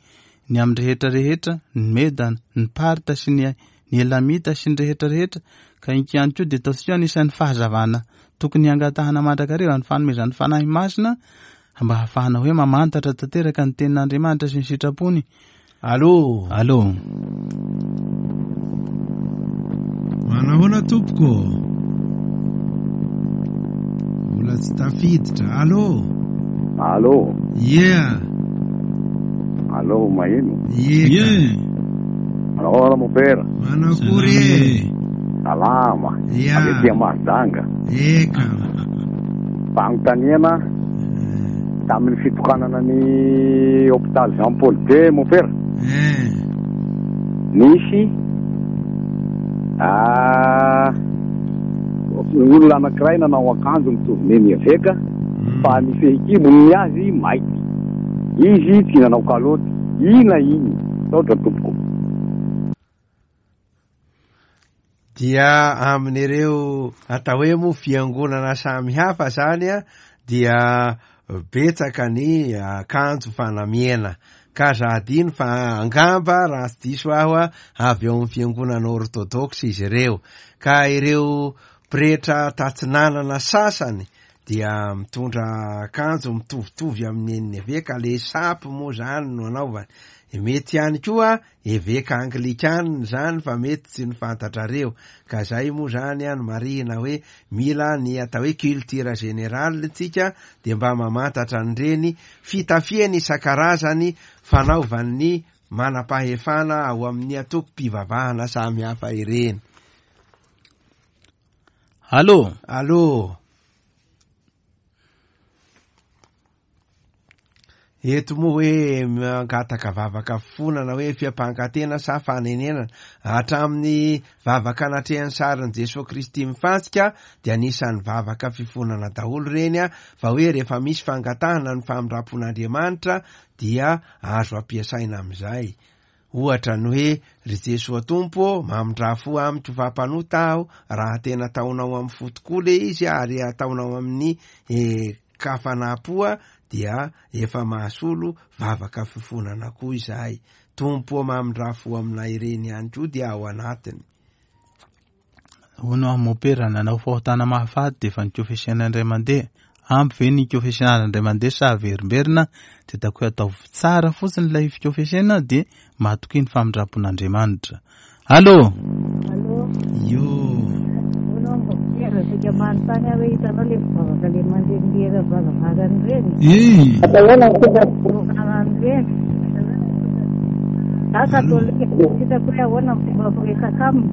Speaker 1: ny amin'ny rehetra rehetra, ny Medana, ny Parta sy ny ny Elamita sy ny rehetra rehetra. Ka iny ihany koa dia ataontsika anisan'ny fahazavana tokony hangatahana mandrakariva ny fanomezan'ny Fanahy Masina mba hahafahana hoe mamantatra tanteraka ny tenin'Andriamanitra sy ny sitrapony.
Speaker 2: Allô?
Speaker 1: Allô?
Speaker 2: Manahoana tompoko? Mbola tsy tafiditra. Allô?
Speaker 5: Allô?
Speaker 2: Yeah.
Speaker 5: Allô, maheno?
Speaker 2: Yeah.
Speaker 5: Manahoana mopera?
Speaker 2: Manakory e?
Speaker 5: Salama.
Speaker 2: Yeah.
Speaker 5: Avy aty Mahajanga.
Speaker 2: Eka.
Speaker 5: Fanontaniana tamin'ny fitokanana ny hôpital Jean Paul deux mopera.
Speaker 2: Eh.
Speaker 5: Nisy ah olona anankiray nanao akanjo mitovy neny eveka fa ny fehikibony ny azy mainty. Izy tsy nanao kaloty. Ina iny? Saotra tompoko.
Speaker 2: Dia amin'ireo atao hoe moa fiangonana samihafa zany a, dia betsaka ny akanjo fanamiana. Ka za adino fa angamba raha tsy diso aho a, avy eo amin'ny fiangonana orthodoxe izy ireo. Ka ireo pretra tatsinanana sasany dia mitondra akanjo mitovitovy amin'ny en'ny eveka, le sapy moa zany no anaovany. Mety ihany koa eveka anglikanina zany fa mety tsy ny fantatrareo, ka zay moa zany a no marihina hoe mila ny atao hoe culture générale tsika, de mba mamantatra an'ireny fitafiany isan-karazany fanaovan'ny manam-pahefana ao amin'ny antokom-pivavahana samihafa ireny.
Speaker 1: Allô?
Speaker 2: Allô? Eto moa hoe mangataka vavaka fifonana hoe fiampangatena sa fanenenana. Hatramin'ny vavaka anatrehan'ny sarin'i Jesoa Kristy mifantsika dia anisan'ny vavaka fifonana daholo ireny a, fa hoe rehefa misy fangatahana ny famindram-pon'Andriamanitra dia azo ampiasaina amin'izay. Ohatra ny hoe ry Jesoa Tompo mamindra fo amiko fa mpanota aho, raha tena ataonao amin'ny fo tokoa le izy ary ataonao amin'ny eh, kafanam-po dia efa mahasolo vavaka fifonana koa izahay. Tompo mamindra fo aminay ireny ihany koa dia ao anatiny.
Speaker 1: Hono aho mopera nanao fahotana mahafaty dia efa nikofesiana indray mandeha. Ampy ve ny kofesiana indray mandeha sa averimberina? Dia hitako hoe ataovy tsara fotsiny ilay fikofesiana dia mahatoky ny famindram-pon'Andriamanitra. Allô?
Speaker 9: Allô?
Speaker 2: Io.
Speaker 9: Hono aho mopera, saika manontany aho hoe hitanao ilay mpivavaka ilay mandehandeha varavarana ireny?
Speaker 1: Eh.
Speaker 9: Ireny. Za katolika, tsy hitako hoe ahoana ny fomba firesaka aminy.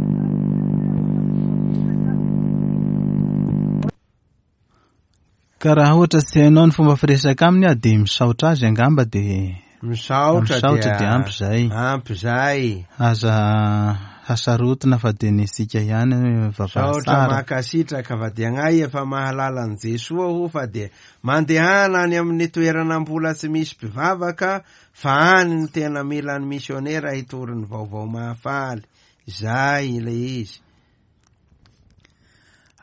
Speaker 1: Ka raha ohatra tsy hainao ny fomba firesaka aminy a, dia misaotra azy angamba dia
Speaker 2: Misaotra
Speaker 1: misaotra
Speaker 2: dia
Speaker 1: dia ampy zay.
Speaker 2: Ampy zay.
Speaker 1: Aza hasarotina fa dia nisika ihany vavaha
Speaker 2: Misaotra
Speaker 1: tsara.
Speaker 2: mankasitraka fa dia agnay efa mahalala an'i Jesoa ho fa dia mandehana any amin'ny toerana mbola tsy misy mpivavaka fa any ny tena mila ny misionera hitory ny vaovao mahafaly. Zay ilay izy.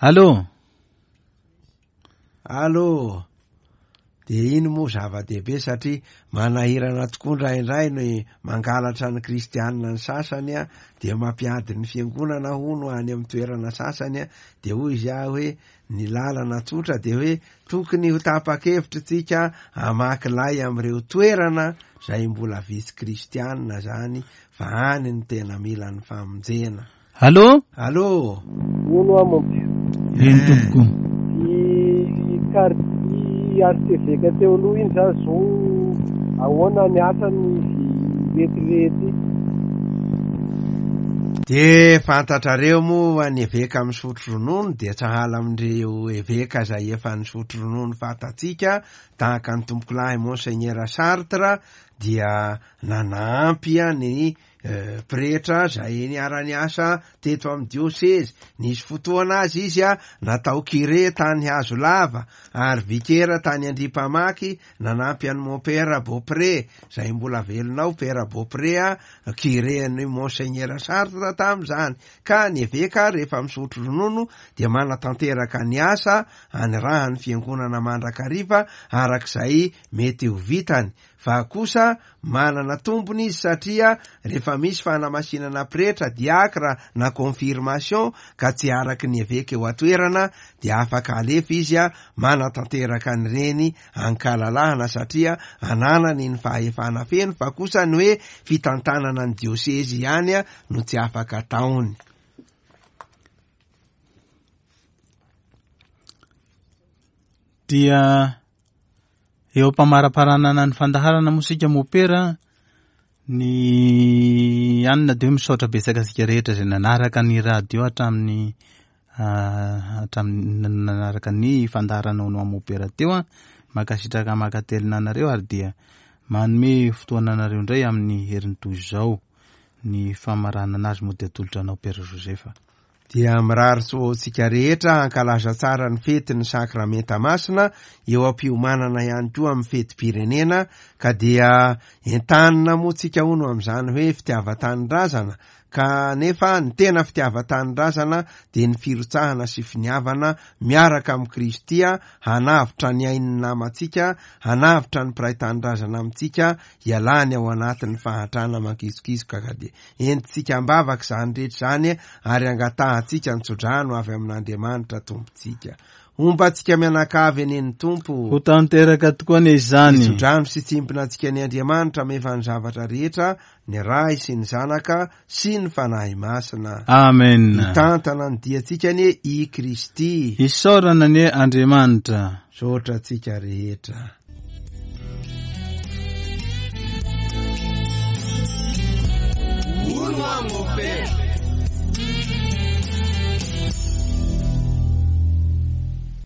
Speaker 1: Allô?
Speaker 2: Allô? Dia iny moa zava-dehibe satria manahirana tokoa indraindray ny mangalatra ny kristianina ny sasany a, dia mampiady ny fiangonana hono any amin'ny toerana sasany a, dia hoy izy aho hoe ny lalana tsotra dia hoe tokony ho tapa-kevitra tsika hamaky lay amin'ireo toerana izay mbola vitsy kristianina zany fa any ny tena mila ny famonjena.
Speaker 1: Allô?
Speaker 2: Allô?
Speaker 8: Hono aho mompera.
Speaker 1: Eny tompoko.
Speaker 8: I kar-, archevêque teo aloha iny zany zao ahoana ny asany izy retirety?
Speaker 2: De fantatrareo moa ny eveka misotro ronono dia sahala amin'ireo eveka izay efa nisotro ronono fantatsika tahaka ny tompokolahy Monseigneur Sartre dia nanampy ny eh, pretra izay niara-niasa teto amin'ny diosezy. Nisy fotoana azy izy a natao curé tany Hazolava ary vikera tany Andrimpamaky nanampy an'i Mompera Beaupré izay mbola velona ao Père Beaupré a curé an'i Monseigneur Sartre tamin'izany. Ka ny eveka rehefa misotro ronono dia manatanteraka ny asa anirahan'ny fiangonana mandrakariva arak'izay mety ho vitany. Fa kosa manana tombony izy satria rehefa misy fanamasinana pretra, diakra na confirmation ka tsy araky ny eveka eo an-toerana dia afaka alefa izy a manatanteraka an'ireny ankalalahana satria ananany ny fahefana feno, fa kosa ny hoe fitantanana ny diosezy ihany a no tsy afaka ataony.
Speaker 1: Dia eo am-pamaraparanana ny fandaharana mozika mopera ny anina dia misaotra betsaka antsika rehetra izay nanaraka ny radio hatramin'ny, ah, hatramin'ny nanaraka ny fandaharana ho anao mopera teo a. Mankasitraka mankatelina anareo ary dia manome fotoana anareo indray amin'ny herin'ny toy izao. Ny famaranana azy moa dia atolotra anao Père Joseph.
Speaker 2: Dia mirary soa antsika rehetra hankalaza tsara ny fetin'ny sakramenta masina eo am-piomanana ihany koa amin'ny fetim-pirenena, ka dia entanina moa tsika hono amin'izany hoe fitiavan-tanindrazana, Kanefa ny tena fitiavan-tanindrazana dia ny firotsahana sy finiavana miaraka amin'i Kristy hanavotra ny ain'ny namantsika, hanavotra ny mpiray tanindrazana amintsika, hialany ao anatin'ny fahantrana mankizokizoka. Ka dia entintsika am-bavaka izany rehetra izany ary angatahantsika ny tsodrano avy amin'Andriamanitra Tompontsika. Homba antsika mianakavy anie ny Tompo.
Speaker 1: Ho tanteraka tokoa anie izany.
Speaker 2: Hitsodrano sy tsimpona antsika ny Andriamanitra mahefa ny zavatra rehetra, ny Ray sy ny Zanaka sy ny Fanahy Masina.
Speaker 1: Amen.
Speaker 2: Hitantana ny diantsika anie i Kristy.
Speaker 1: Isaorana anie Andriamanitra.
Speaker 2: Misaotra antsika rehetra.
Speaker 3: Hono aho mopera.